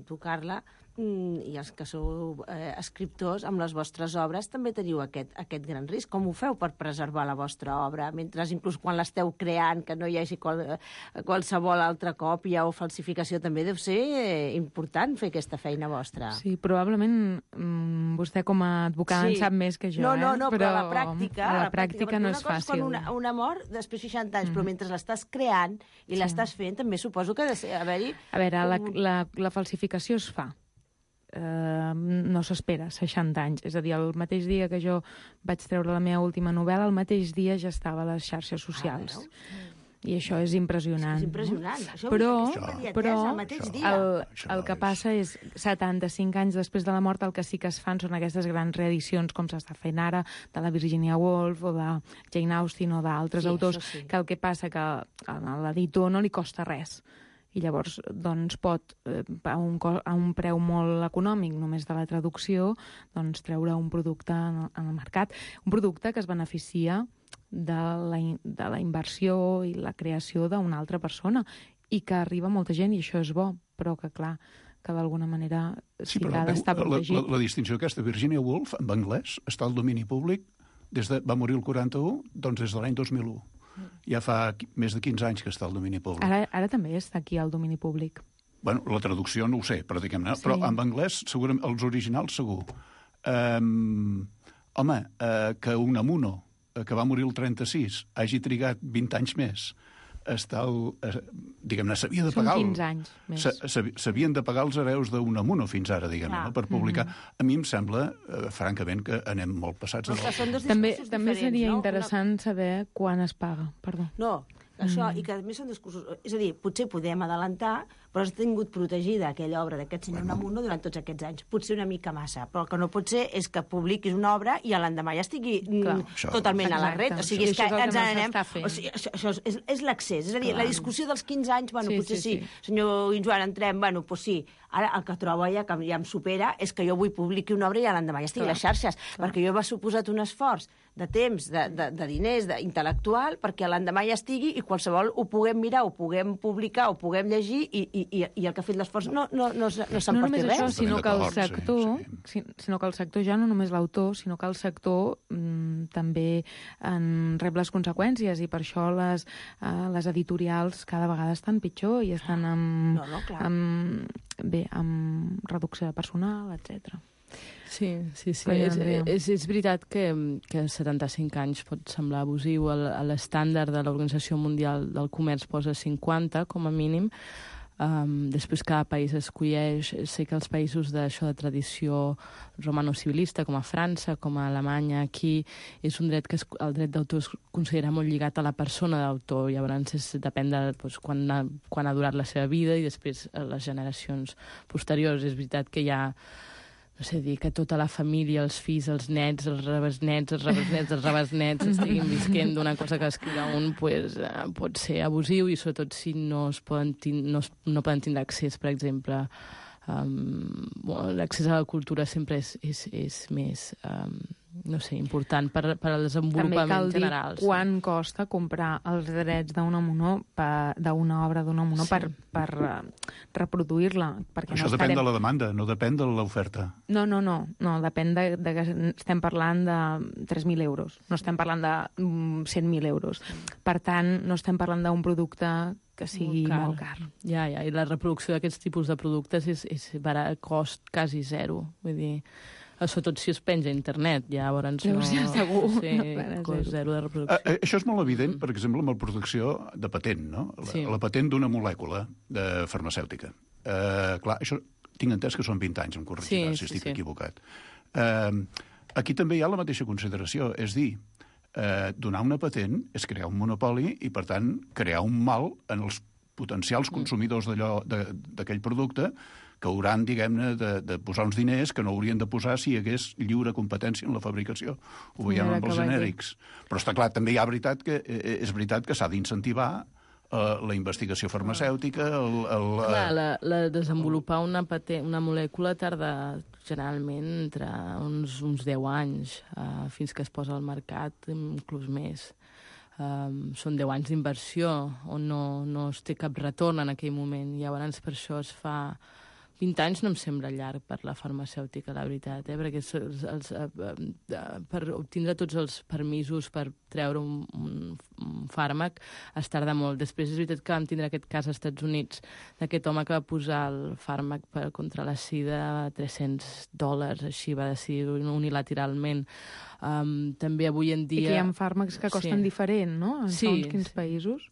tu, Carla, i els que sou escriptors, amb les vostres obres també teniu aquest gran risc. Com ho feu per preservar la vostra obra, mentre inclús quan l'esteu creant, que no hi hagi qualsevol altra còpia o falsificació, també deu ser important fer aquesta feina vostra. Sí, probablement vostè com a advocada en sap més que jo, No, però a la pràctica no és fàcil. Quan una mort després de 60 anys, però mentre l'estàs creant i l'estàs fent, també suposo que ha de haver-hi... A veure, la falsificació es fa. No s'espera 60 anys. És a dir, el mateix dia que jo vaig treure la meva última novel·la, el mateix dia ja estava a les xarxes socials. I això és impressionant. És impressionant. Però el que passa és 75 anys després de la mort el que sí que es fan són aquestes grans reedicions com s'està fent ara de la Virginia Woolf o de Jane Austen o d'altres autors, que el que passa que a l'editor no li costa res. I llavors doncs, pot, a un preu molt econòmic, només de la traducció, doncs, treure un producte en el mercat. Un producte que es beneficia de la inversió i la creació d'una altra persona i que arriba a molta gent, i això és bo, però que, clar, que d'alguna manera sí que ha d'estar protegit. La distinció aquesta, Virginia Woolf, en anglès, està al domini públic, va morir el 41, doncs des de l'any 2001. Ja fa més de 15 anys que està al domini públic. Ara també està aquí al domini públic. Bueno, la traducció no ho sé, però diguem-ne. Sí. Però en anglès, segurament, els originals segur. Que Unamuno, que va morir el 36, hagi trigat 20 anys més, diguem-ne, s'havia de pagar... Són 15 anys més. S'havien de pagar els hereus d'Unamuno fins ara, diguem-ne, per publicar. A mi em sembla, francament, que anem molt passats. També seria interessant saber quan es paga, perdó. No, això, i que a més són discursos... És a dir, potser podem adelantar, però has tingut protegida aquella obra d'aquest senyor Unamuno durant tots aquests anys. Potser una mica massa, però el que no pot ser és que publiquis una obra i a l'endemà ja estigui totalment a la ret. O sigui, és que ens n'anem... Això és l'accés. És a dir, la discussió dels 15 anys, bueno, potser sí. Senyor Guinjoan, entrem, bueno, doncs sí. Ara el que trobo ja, que ja em supera, és que jo vull publicar una obra i a l'endemà ja estigui a les xarxes, perquè jo m'ha suposat un esforç de temps, de diners, intel·lectual, perquè a l'endemà ja estigui i qualsevol ho puguem mirar, ho puguem publicar, ho puguem llegir i el que ha fet l'esforç no se'n porti res. Això, sinó que el sector ja no només l'autor, sinó que el sector també rep les conseqüències i per això les editorials cada vegada estan pitjor i estan amb reducció de personal, etc. Sí. És veritat que 75 anys pot semblar abusiu. L'estàndard de l'Organització Mundial del Comerç posa 50, com a mínim. Després cada país escolleix. Sé que els països d'això de tradició romano-civilista, com a França, com a Alemanya, aquí és un dret que el dret d'autor es considera molt lligat a la persona d'autor. Llavors depèn de quan ha durat la seva vida i després les generacions posteriors. És veritat que hi ha, no sé, dir que tota la família, els fills, els nets, els rebesnets, estiguin visquent d'una cosa que escriure un, pot ser abusiu, i sobretot si no poden tindre accés, per exemple. L'accés a la cultura sempre és més, no sé, important per al desenvolupament general. També cal dir quant costa comprar els drets d'una obra d'una Unamuno per reproduir-la. Això depèn de la demanda, no depèn de l'oferta. No, depèn de que estem parlant de 3.000 euros, no estem parlant de 100.000 euros. Per tant, no estem parlant d'un producte que sigui molt car. Ja, i la reproducció d'aquests tipus de productes és cost quasi zero. Vull dir, sobretot si es penja a internet, llavors no... Segur. Sí, cost zero de reproducció. Això és molt evident, per exemple, amb la producció de patent, no? La patent d'una molècula farmacèutica. Clar, això tinc entès que són 20 anys, em corregirà si estic equivocat. Aquí també hi ha la mateixa consideració, és dir, donar una patent és crear un monopoli i, per tant, crear un mal en els potencials consumidors d'aquell producte que hauran, diguem-ne, de posar uns diners que no haurien de posar si hi hagués lliure competència en la fabricació. Ho veiem amb els genèrics. Però està clar, també és veritat que s'ha d'incentivar la investigació farmacèutica, Clar, desenvolupar una molècula tarda generalment entre uns 10 anys fins que es posa al mercat, inclús més. Són 10 anys d'inversió on no es té cap retorn en aquell moment. Llavors per això es fa... 20 anys no em sembla llarg per la farmacèutica, la veritat, perquè per obtindre tots els permisos per treure un fàrmac es tarda molt. Després és veritat que vam tindre aquest cas als Estats Units d'aquest home que va posar el fàrmac contra la sida a $300, així va decidir unilateralment. També avui en dia... I que hi ha fàrmacs que costen diferent, no? En segons quins països?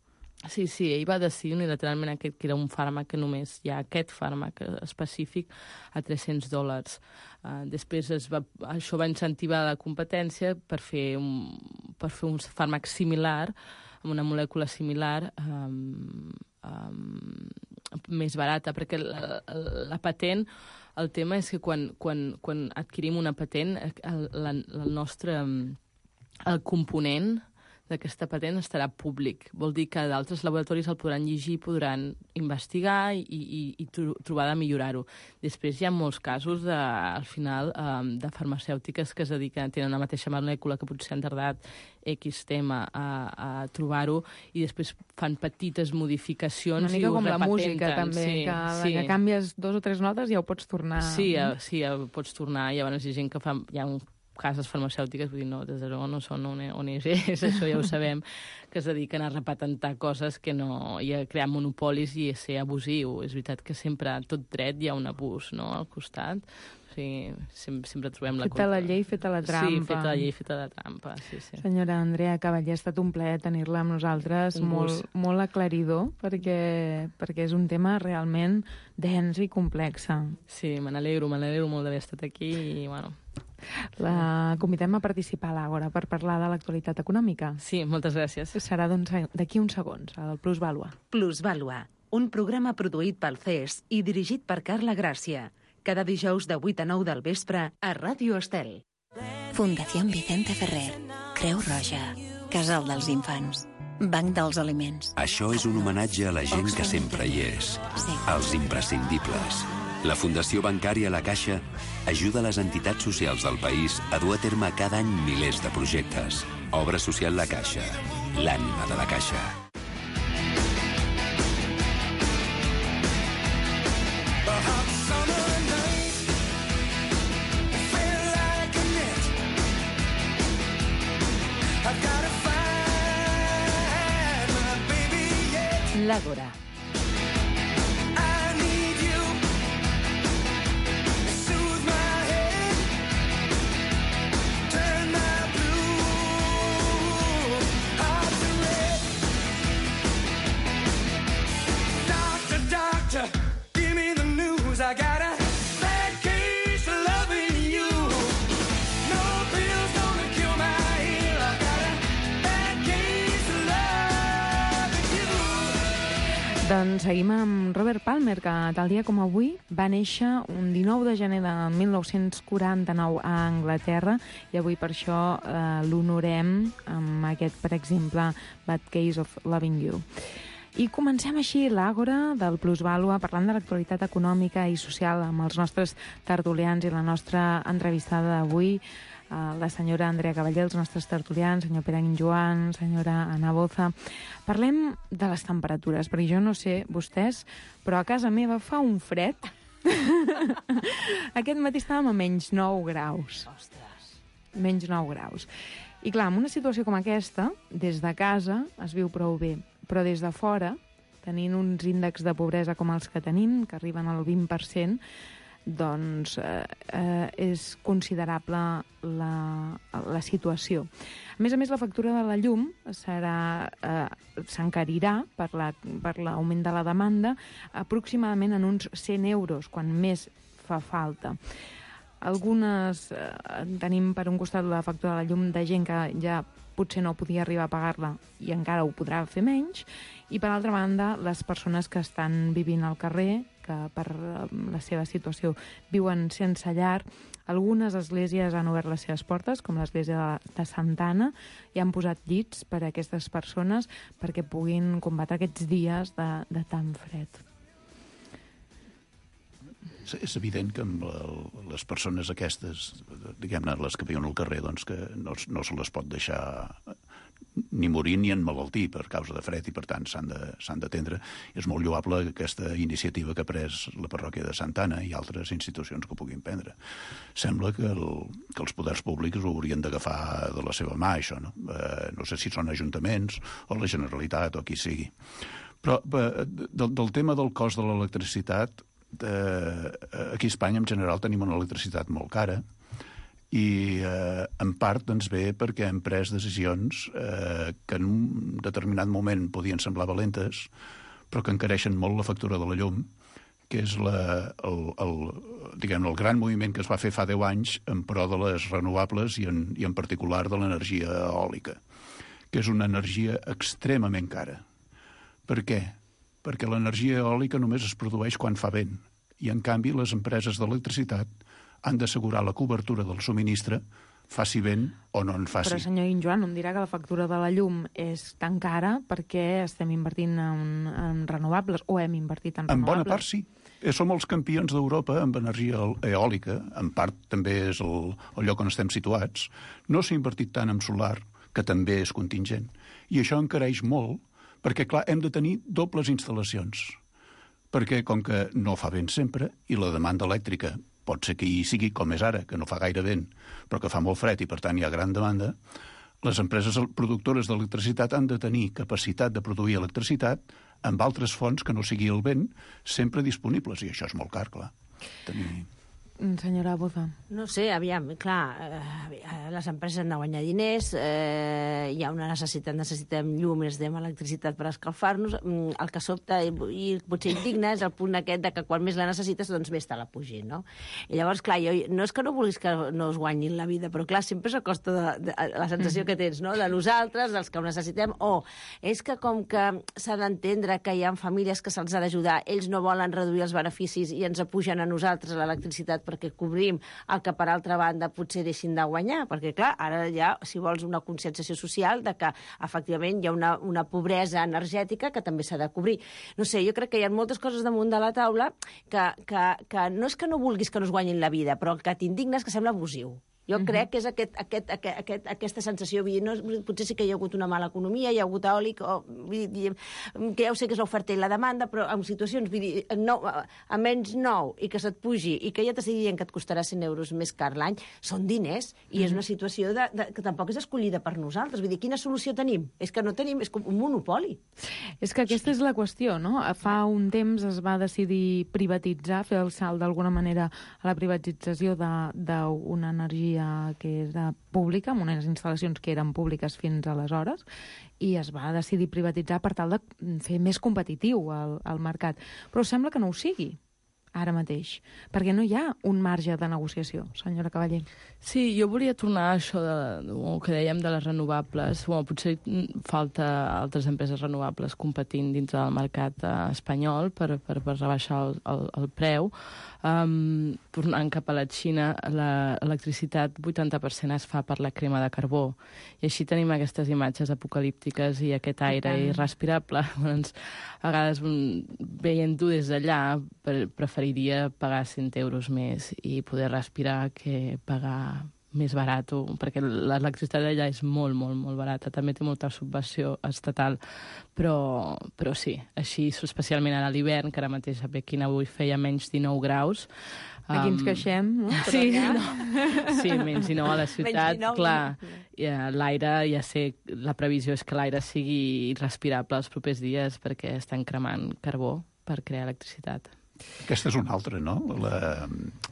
Sí, ell va decidir unilateralment que era un fàrmac que només hi ha aquest fàrmac específic a $300. Després això va incentivar la competència per fer un fàrmac similar, amb una molècula similar, més barata, perquè la patent, el tema és que quan adquirim una patent, el component d'aquesta patent estarà públic. Vol dir que d'altres laboratoris el podran llegir, podran investigar i trobar de millorar-ho. Després hi ha molts casos, al final, de farmacèutiques que es dediquen, tenen una mateixa molècula que potser han tardat X tema a trobar-ho i després fan petites modificacions i ho repatenten. Una mica com la música, també, que canvies 2 o 3 notes i ja ho pots tornar. Sí, ho pots tornar. Llavors hi ha gent que fa... cases farmacèutiques, vull dir, no, des de zero no són ONGs, això ja ho sabem, que es dediquen a repatentar coses que no... i a crear monopolis i a ser abusiu. És veritat que sempre, a tot dret, hi ha un abús, no?, al costat. O sigui, sempre trobem la culpa. Feta la llei, feta la trampa. Sí, feta la llei, feta la trampa, sí. Senyora Andrea Cavallé, ha estat un plaer tenir-la amb nosaltres, molt aclaridor, perquè és un tema realment dens i complex. Sí, me n'alegro molt d'haver estat aquí i, bueno... La convidem a participar a l'Àgora per parlar de l'actualitat econòmica. Sí, moltes gràcies. Serà d'aquí uns segons, al Plusvàlua. Plusvàlua, un programa produït pel CES i dirigit per Carla Gràcia. Cada dijous de 8 a 9 del vespre a Ràdio Estel. Fundació Vicente Ferrer, Creu Roja, Casal dels Infants, Banc dels Aliments. Això és un homenatge a la gent que sempre hi és, als imprescindibles. La Fundació Bancària La Caixa ajuda les entitats socials del país a dur a terme cada any milers de projectes. Obra social La Caixa, l'ànima de la Caixa. L'Àgora. Doncs seguim amb Robert Palmer, que tal dia com avui va néixer un 19 de gener de 1949 a Anglaterra, i avui per això l'honorem amb aquest, per exemple, Bad Case of Loving You. I comencem així l'Àgora del Plusvàlua, parlant de l'actualitat econòmica i social amb els nostres tertulians i la nostra entrevistada d'avui, la senyora Andrea Cavallé, els nostres tertulians, senyor Pere Guinjoan, senyora Ana Boza. Parlem de les temperatures, perquè jo no sé vostès, però a casa meva fa un fred. Aquest matí estàvem a menys 9 graus. Ostres. Menys 9 graus. I clar, en una situació com aquesta, des de casa es viu prou bé, però des de fora, tenint uns índexs de pobresa com els que tenim, que arriben al 20%, doncs és considerable la situació. A més, la factura de la llum s'encarirà per l'augment de la demanda aproximadament en uns 100 euros, quan més fa falta. Algunes tenim per un costat la factura de la llum de gent que ja potser no podia arribar a pagar-la i encara ho podrà fer menys, i per altra banda les persones que estan vivint al carrer, que per la seva situació viuen sense llar. Algunes esglésies han obert les seves portes, com l'església de Santa Anna, i han posat llits per a aquestes persones perquè puguin combatre aquests dies de tan fred. És evident que amb les persones aquestes, diguem-ne, les que viuen al carrer, doncs que no se les pot deixar ni morir ni emmalaltir per causa de fred, i per tant s'han d'atendre. És molt lloable aquesta iniciativa que ha pres la parròquia de Santa Anna i altres institucions que ho puguin prendre. Sembla que els poders públics ho haurien d'agafar de la seva mà, això, no? No sé si són ajuntaments o la Generalitat o qui sigui. Però del tema del cost de l'electricitat, aquí a Espanya en general tenim una electricitat molt cara, i en part doncs ve perquè hem pres decisions que en un determinat moment podien semblar valentes, però que encareixen molt la factura de la llum, que és el gran moviment que es va fer fa 10 anys en pro de les renovables i en particular de l'energia eòlica, que és una energia extremament cara. Per què? Perquè l'energia eòlica només es produeix quan fa vent, i en canvi les empreses d'electricitat han d'assegurar la cobertura del subministre, faci vent o no en faci. Però, senyor Guinjoan, em dirà que la factura de la llum és tan cara perquè estem invertint en renovables, o hem invertit en renovables? En bona part sí. Som els campions d'Europa amb energia eòlica, en part també és el lloc on estem situats. No s'ha invertit tant en solar, que també és contingent. I això encareix molt, perquè, clar, hem de tenir dobles instal·lacions. Perquè, com que no fa vent sempre, i la demanda elèctrica pot ser que hi sigui com és ara, que no fa gaire vent, però que fa molt fred i per tant hi ha gran demanda, les empreses productores d'electricitat han de tenir capacitat de produir electricitat amb altres fonts que no sigui el vent, sempre disponibles, i això és molt car, clar. Senyora Boza. No sé, aviam, clar, les empreses han de guanyar diners, hi ha una necessitem llum, necessitem electricitat per escalfar-nos, el que sobta i potser indigna és el punt aquest de que quan més la necessites, doncs més te la pugin, no? I llavors, clar, no és que no vulguis que no es guanyin la vida, però clar, sempre és a costa de la sensació que tens, no?, de nosaltres, dels que ho necessitem, o és que com que s'ha d'entendre que hi ha famílies que se'ls ha d'ajudar, ells no volen reduir els beneficis i ens apugen a nosaltres l'electricitat perquè cobrim el que, per altra banda, potser deixin de guanyar. Perquè, clar, ara hi ha, si vols, una conscienciació social de que, efectivament, hi ha una pobresa energètica que també s'ha de cobrir. No sé, jo crec que hi ha moltes coses damunt de la taula que no és que no vulguis que no es guanyin la vida, però el que t'indigna és que sembla abusiu. Jo crec que és aquesta sensació, potser sí que hi ha hagut una mala economia, hi ha hagut eòlic, que ja ho sé que és l'oferta i la demanda, però en situacions a menys 9 i que se't pugi i que ja t'estigui dient que et costarà 100 euros més car l'any, són diners, i és una situació que tampoc és escollida per nosaltres. Vull dir, quina solució tenim? És que no tenim, és com un monopoli. És que aquesta és la qüestió, no? Fa un temps es va decidir privatitzar, fer el salt d'alguna manera a la privatització d'una energia que era pública, amb unes instal·lacions que eren públiques fins aleshores, i es va decidir privatitzar per tal de fer més competitiu el mercat. Però sembla que no ho sigui. ara mateix? Perquè no hi ha un marge de negociació, senyora Cavaller. Sí, jo volia tornar a això que dèiem de les renovables. Potser falta altres empreses renovables competint dintre del mercat espanyol per rebaixar el preu. Tornant cap a la Xina, l'electricitat 80% es fa per la crema de carbó. I així tenim aquestes imatges apocalíptiques i aquest aire irrespirable. Doncs, a vegades, veient-ho des d'allà, preferiria pagar 100 euros més i poder respirar que pagar més barat, perquè l'electricitat d'allà és molt, molt, molt barata. També té molta subvenció estatal, però sí, així, especialment ara a l'hivern, que ara mateix a Pequín avui feia menys 19 graus. Aquí ens queixem, no? Sí, sí, menys 19 a la ciutat, clar. L'aire, ja sé, la previsió és que l'aire sigui irrespirable els propers dies perquè estan cremant carbó per crear electricitat. Aquesta és una altra, no?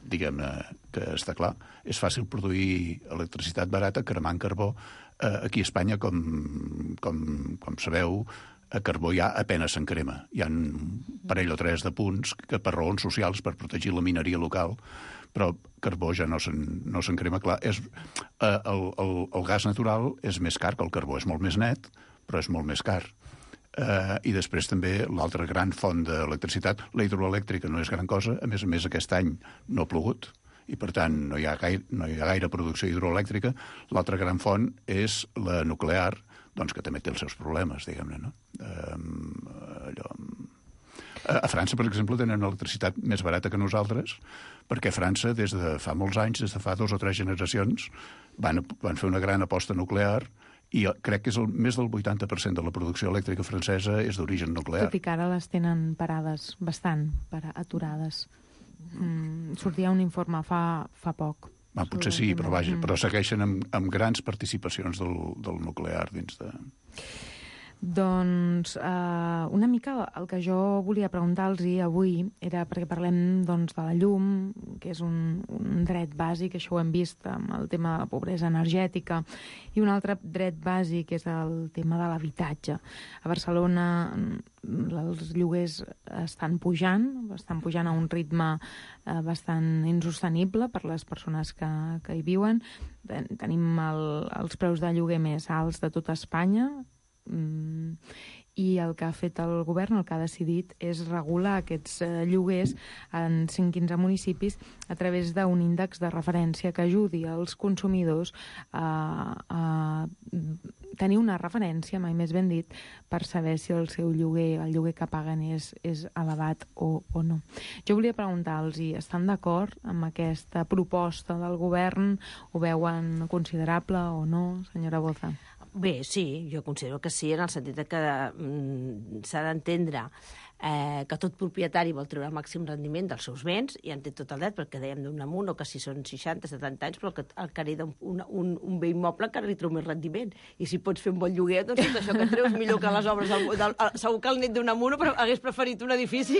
Diguem-ne que està clar. És fàcil produir electricitat barata cremant carbó. Aquí a Espanya, com sabeu, a carbó ja apenas se'n crema. Hi ha un parell o tres de punts que per raons socials, per protegir la mineria local, però carbó ja no se'n crema. Clar, el gas natural és més car que el carbó. És molt més net, però és molt més car. I després també l'altra gran font d'electricitat, la hidroelèctrica no és gran cosa, a més aquest any no ha plogut i per tant no hi ha gaire producció hidroelèctrica. L'altra gran font és la nuclear, doncs que també té els seus problemes, diguem-ne, no? A França, per exemple, tenen una electricitat més barata que nosaltres, perquè a França, des de fa molts anys, des de fa 2 o 3 generacions, van fer una gran aposta nuclear i crec que és més del 80% de la producció elèctrica francesa és d'origen nuclear. Tot i que ara les tenen parades, bastant aturades. Sortia un informe fa poc. Potser sí, però vaja, però segueixen amb grans participacions del nuclear dins de... Doncs una mica el que jo volia preguntar-los avui era perquè parlem doncs, de la llum, que és un dret bàsic, això ho hem vist amb el tema de la pobresa energètica, i un altre dret bàsic és el tema de l'habitatge. A Barcelona els lloguers estan pujant a un ritme bastant insostenible per les persones que hi viuen. Tenim els preus de lloguer més alts de tota Espanya, i el que ha fet el govern, el que ha decidit, és regular aquests lloguers en 115 municipis a través d'un índex de referència que ajudi els consumidors a tenir una referència, mai més ben dit, per saber si el seu lloguer, el lloguer que paguen és elevat o no. Jo volia preguntar-los, estan d'acord amb aquesta proposta del govern? Ho veuen considerable o no, senyora Boza? Bé, sí, jo considero que sí, en el sentit que s'ha d'entendre que tot propietari vol treure el màxim rendiment dels seus béns, i en té tot el dret, perquè dèiem d'un amunt, o que si són 60, 70 anys, però el que hereda un bé immoble encara li treu més rendiment. I si pots fer un bon lloguer, doncs tot això que treus millor que les obres segur que el net d'un amunt hagués preferit un edifici.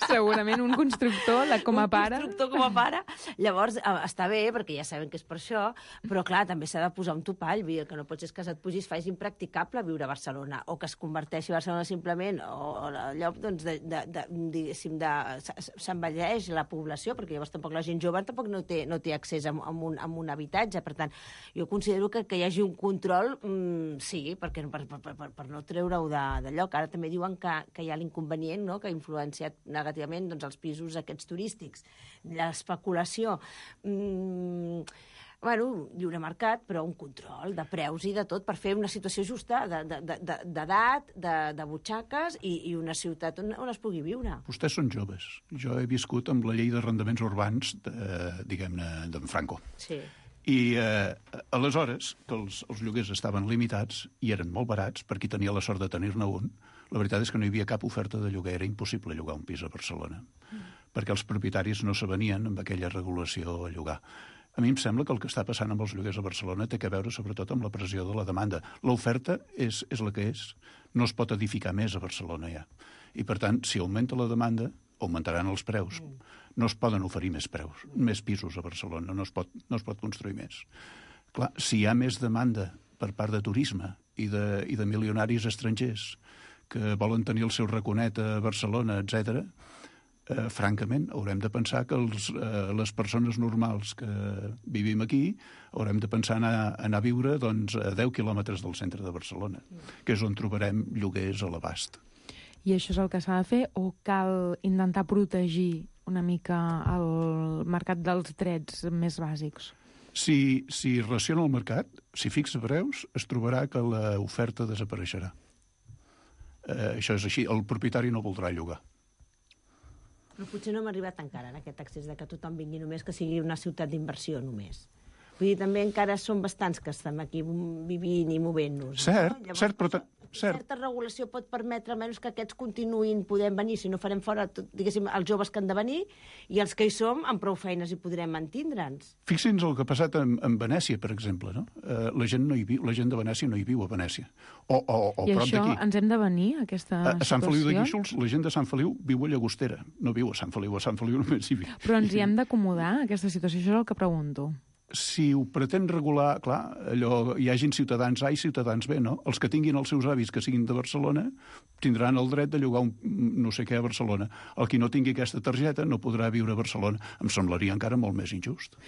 Segurament un constructor com a pare. Un constructor com a pare. Llavors, està bé, perquè ja sabem que és per això, però clar, també s'ha de posar un topall, el que no pots és que se't pugis, facis impracticable viure a Barcelona, o que es converteixi a Barcelona simplement, o allò, doncs, s'envelleix la població, perquè llavors tampoc la gent jove tampoc no té accés a un habitatge. Per tant, jo considero que hi hagi un control, sí, per no treure-ho de lloc. Ara també diuen que hi ha l'inconvenient, no?, que ha influenciat negativament doncs, els pisos aquests turístics. L'especulació... lliure mercat, però un control de preus i de tot, per fer una situació justa d'edat, de butxaques i una ciutat on es pugui viure. Vostès són joves. Jo he viscut amb la llei d'arrendaments urbans, diguem-ne, d'en Franco. Sí. I aleshores, que els lloguers estaven limitats i eren molt barats, per qui tenia la sort de tenir-ne un, la veritat és que no hi havia cap oferta de lloguer, era impossible llogar un pis a Barcelona, perquè els propietaris no s'avenien amb aquella regulació a llogar. A mi em sembla que el que està passant amb els lloguers a Barcelona té a veure sobretot amb la pressió de la demanda. L'oferta és la que és. No es pot edificar més a Barcelona ja. I per tant, si augmenta la demanda, augmentaran els preus. No es poden oferir més pisos a Barcelona, no es pot construir més. Clar, si hi ha més demanda per part de turisme i de milionaris estrangers que volen tenir el seu raconet a Barcelona, etc., francament, haurem de pensar que les persones normals que vivim aquí haurem de pensar anar a viure doncs, a 10 quilòmetres del centre de Barcelona, que és on trobarem lloguers a l'abast. I això és el que s'ha de fer o cal intentar protegir una mica el mercat dels drets més bàsics? Si raciona el mercat, si fixa preus, es trobarà que l'oferta desapareixerà. Això és així, el propietari no voldrà llogar. Però potser no hem arribat encara en aquest accés de que tothom vingui només, que sigui una ciutat d'inversió només. Vull dir, també encara som bastants que estem aquí vivint i movent-nos. Cert, no? Llavors, cert, però... certa regulació pot permetre almenys que aquests continuïn podent venir, si no farem fora, diguéssim, els joves que han de venir, i els que hi som, amb prou feines hi podrem mantindre'ns. Fixin-nos el que ha passat en Venècia, per exemple, no? La gent no hi viu, la gent de Venècia no hi viu a Venècia. O I prop això d'aquí. ens hem de venir, a aquesta situació? A Sant Feliu de Guíxols, la gent de Sant Feliu viu a Llagostera, no viu a Sant Feliu només hi viu. Però ens hi hem d'acomodar, a aquesta situació, això és el que pregunto. Si ho pretén regular, clar, allò, hi hagin ciutadans A i ciutadans B, no? Els que tinguin els seus avis que siguin de Barcelona tindran el dret de llogar un no sé què a Barcelona. El qui no tingui aquesta targeta no podrà viure a Barcelona. Em semblaria encara molt més injust.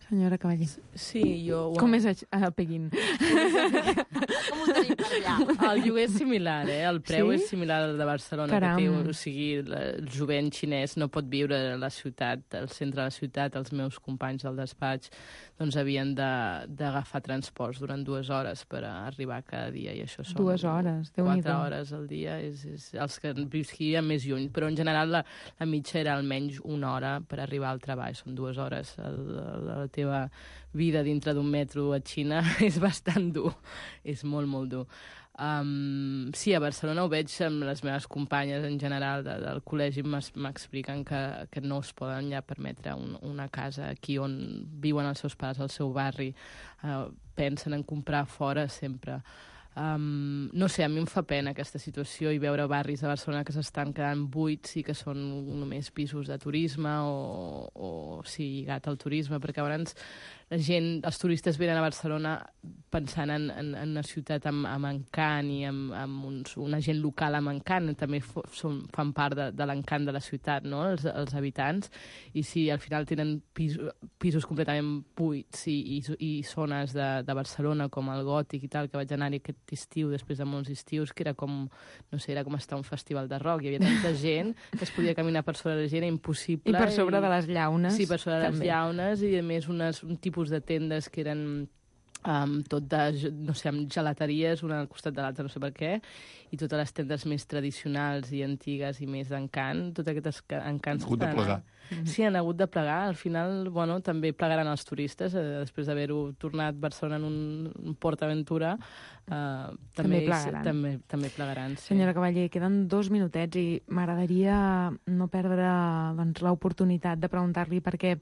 Senyora Cavallé. Sí, jo... Com és a Peguín? Com ho tenim per allà? El lloguer és similar, el preu Sí? és similar al de Barcelona. Caram. Que té, o sigui, el jovent xinès no pot viure a la ciutat, al centre de la ciutat. Els meus companys del despatx doncs havien d'agafar transports durant 2 hores per arribar cada dia, i això són 2 hores, Déu-n'hi-do. 4 hores al dia. És els que visquien més lluny, però en general la mitja era almenys 1 hora per arribar al treball. Són 2 hores. La teva vida dintre d'un metro a Xina és bastant dur, és molt, molt dur. Sí, a Barcelona ho veig amb les meves companyes en general del col·legi, m'expliquen que no es poden ja permetre una casa aquí on viuen els seus pares, al seu barri. Pensen en comprar fora sempre. No sé, a mi em fa pena aquesta situació i veure barris de Barcelona que s'estan quedant buits i que són només pisos de turisme o sí, lligat al turisme, perquè llavors la gent, els turistes venen a Barcelona pensant en una ciutat amb encant i amb una gent local amb encant, també fan part de l'encant de la ciutat, no? els habitants, i si al final tenen pisos completament buits i zones de Barcelona com el Gòtic i tal, que vaig anar-hi aquest estiu, després de molts estius, que era com, no sé, era com estar a un festival de rock, hi havia tanta gent que es podia caminar per sobre la gent, era impossible. I per sobre de les llaunes. Sí, per sobre de les també. llaunes, i a més un tipus de tendes que eren tot de, no sé, amb gelateries una al costat de l'altra, no sé per què, i totes les tendes més tradicionals i antigues i més d'encant, tot aquests encants... Han hagut de plegar. Sí, han hagut de plegar. Al final, bueno, també plegaran els turistes, després d'haver-ho tornat Barcelona en un PortAventura, també plegaran. També plegaran, sí. Senyora Cavallé, queden 2 minutets i m'agradaria no perdre doncs, l'oportunitat de preguntar-li, perquè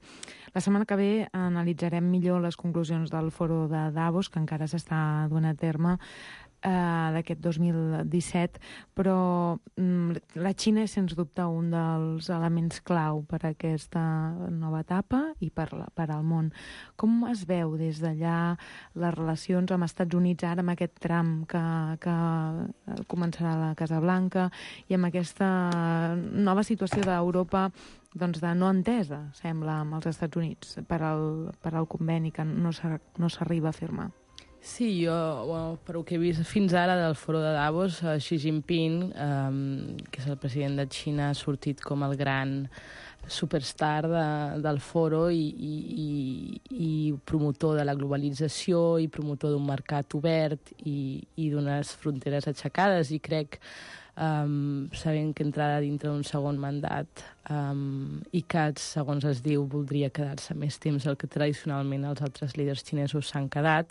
la setmana que ve analitzarem millor les conclusions del foro de Davos, que encara s'està duent a terme, d'aquest 2017, però la Xina és, sens dubte, un dels elements clau per a aquesta nova etapa i per al món. Com es veu des d'allà les relacions amb Estats Units ara, amb aquest tram que començarà a la Casa Blanca i amb aquesta nova situació d'Europa doncs de no entesa, sembla, amb els Estats Units per al conveni que no s'arriba a firmar? Sí, jo, bueno, per el que he vist fins ara del foro de Davos, Xi Jinping, que és el president de Xina, ha sortit com el gran superstar del foro i promotor de la globalització i promotor d'un mercat obert i d'unes fronteres aixecades, i crec, sabent que entrarà dintre d'un segon mandat i que, segons es diu, voldria quedar-se més temps del que tradicionalment els altres líders xinesos s'han quedat,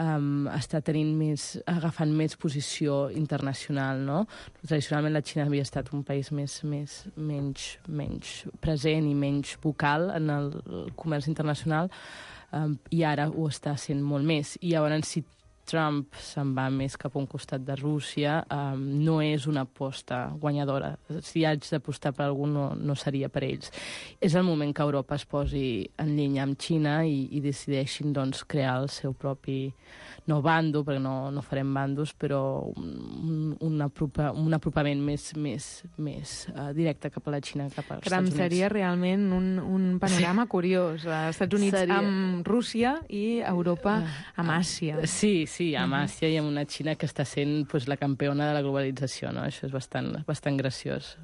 està agafant més posició internacional, no? Tradicionalment la Xina havia estat un país menys present i menys vocal en el comerç internacional, i ara ho està sent molt més. I llavors, Trump se'n va més cap a un costat de Rússia, no és una aposta guanyadora. Si haig d'apostar per algú, no seria per ells. És el moment que Europa es posi en línia amb Xina i decideixin doncs, crear el seu propi, no bando, perquè no farem bandos, però un apropament més directe cap a la Xina, cap als Estats Units. Seria realment un panorama curiós. Estats Units amb Rússia i Europa amb Àsia. Sí, amb Àsia i amb una Xina que està sent la campiona de la globalització, no? Això és bastant graciós.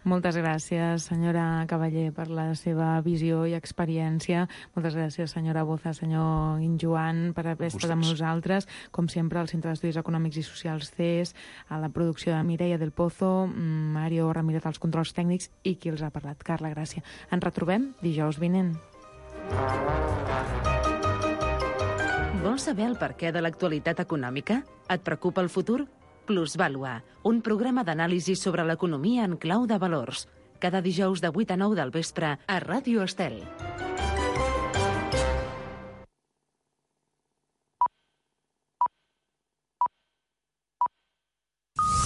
Moltes gràcies, senyora Cavaller, per la seva visió i experiència. Moltes gràcies, senyora Boza, senyor Guinjoan, per haver estat amb nosaltres. Com sempre, al Centre d'Estudis Econòmics i Socials CES, a la producció de Mireia del Pozo, Mario Ramírez als controls tècnics i qui els ha parlat, Carla Gràcia. Ens retrobem dijous vinent. Vols saber el perquè de l'actualitat econòmica? Et preocupa el futur? Plusvàlua, un programa d'anàlisi sobre l'economia en clau de valors. Cada dijous de 8 a 9 del vespre a Ràdio Estel.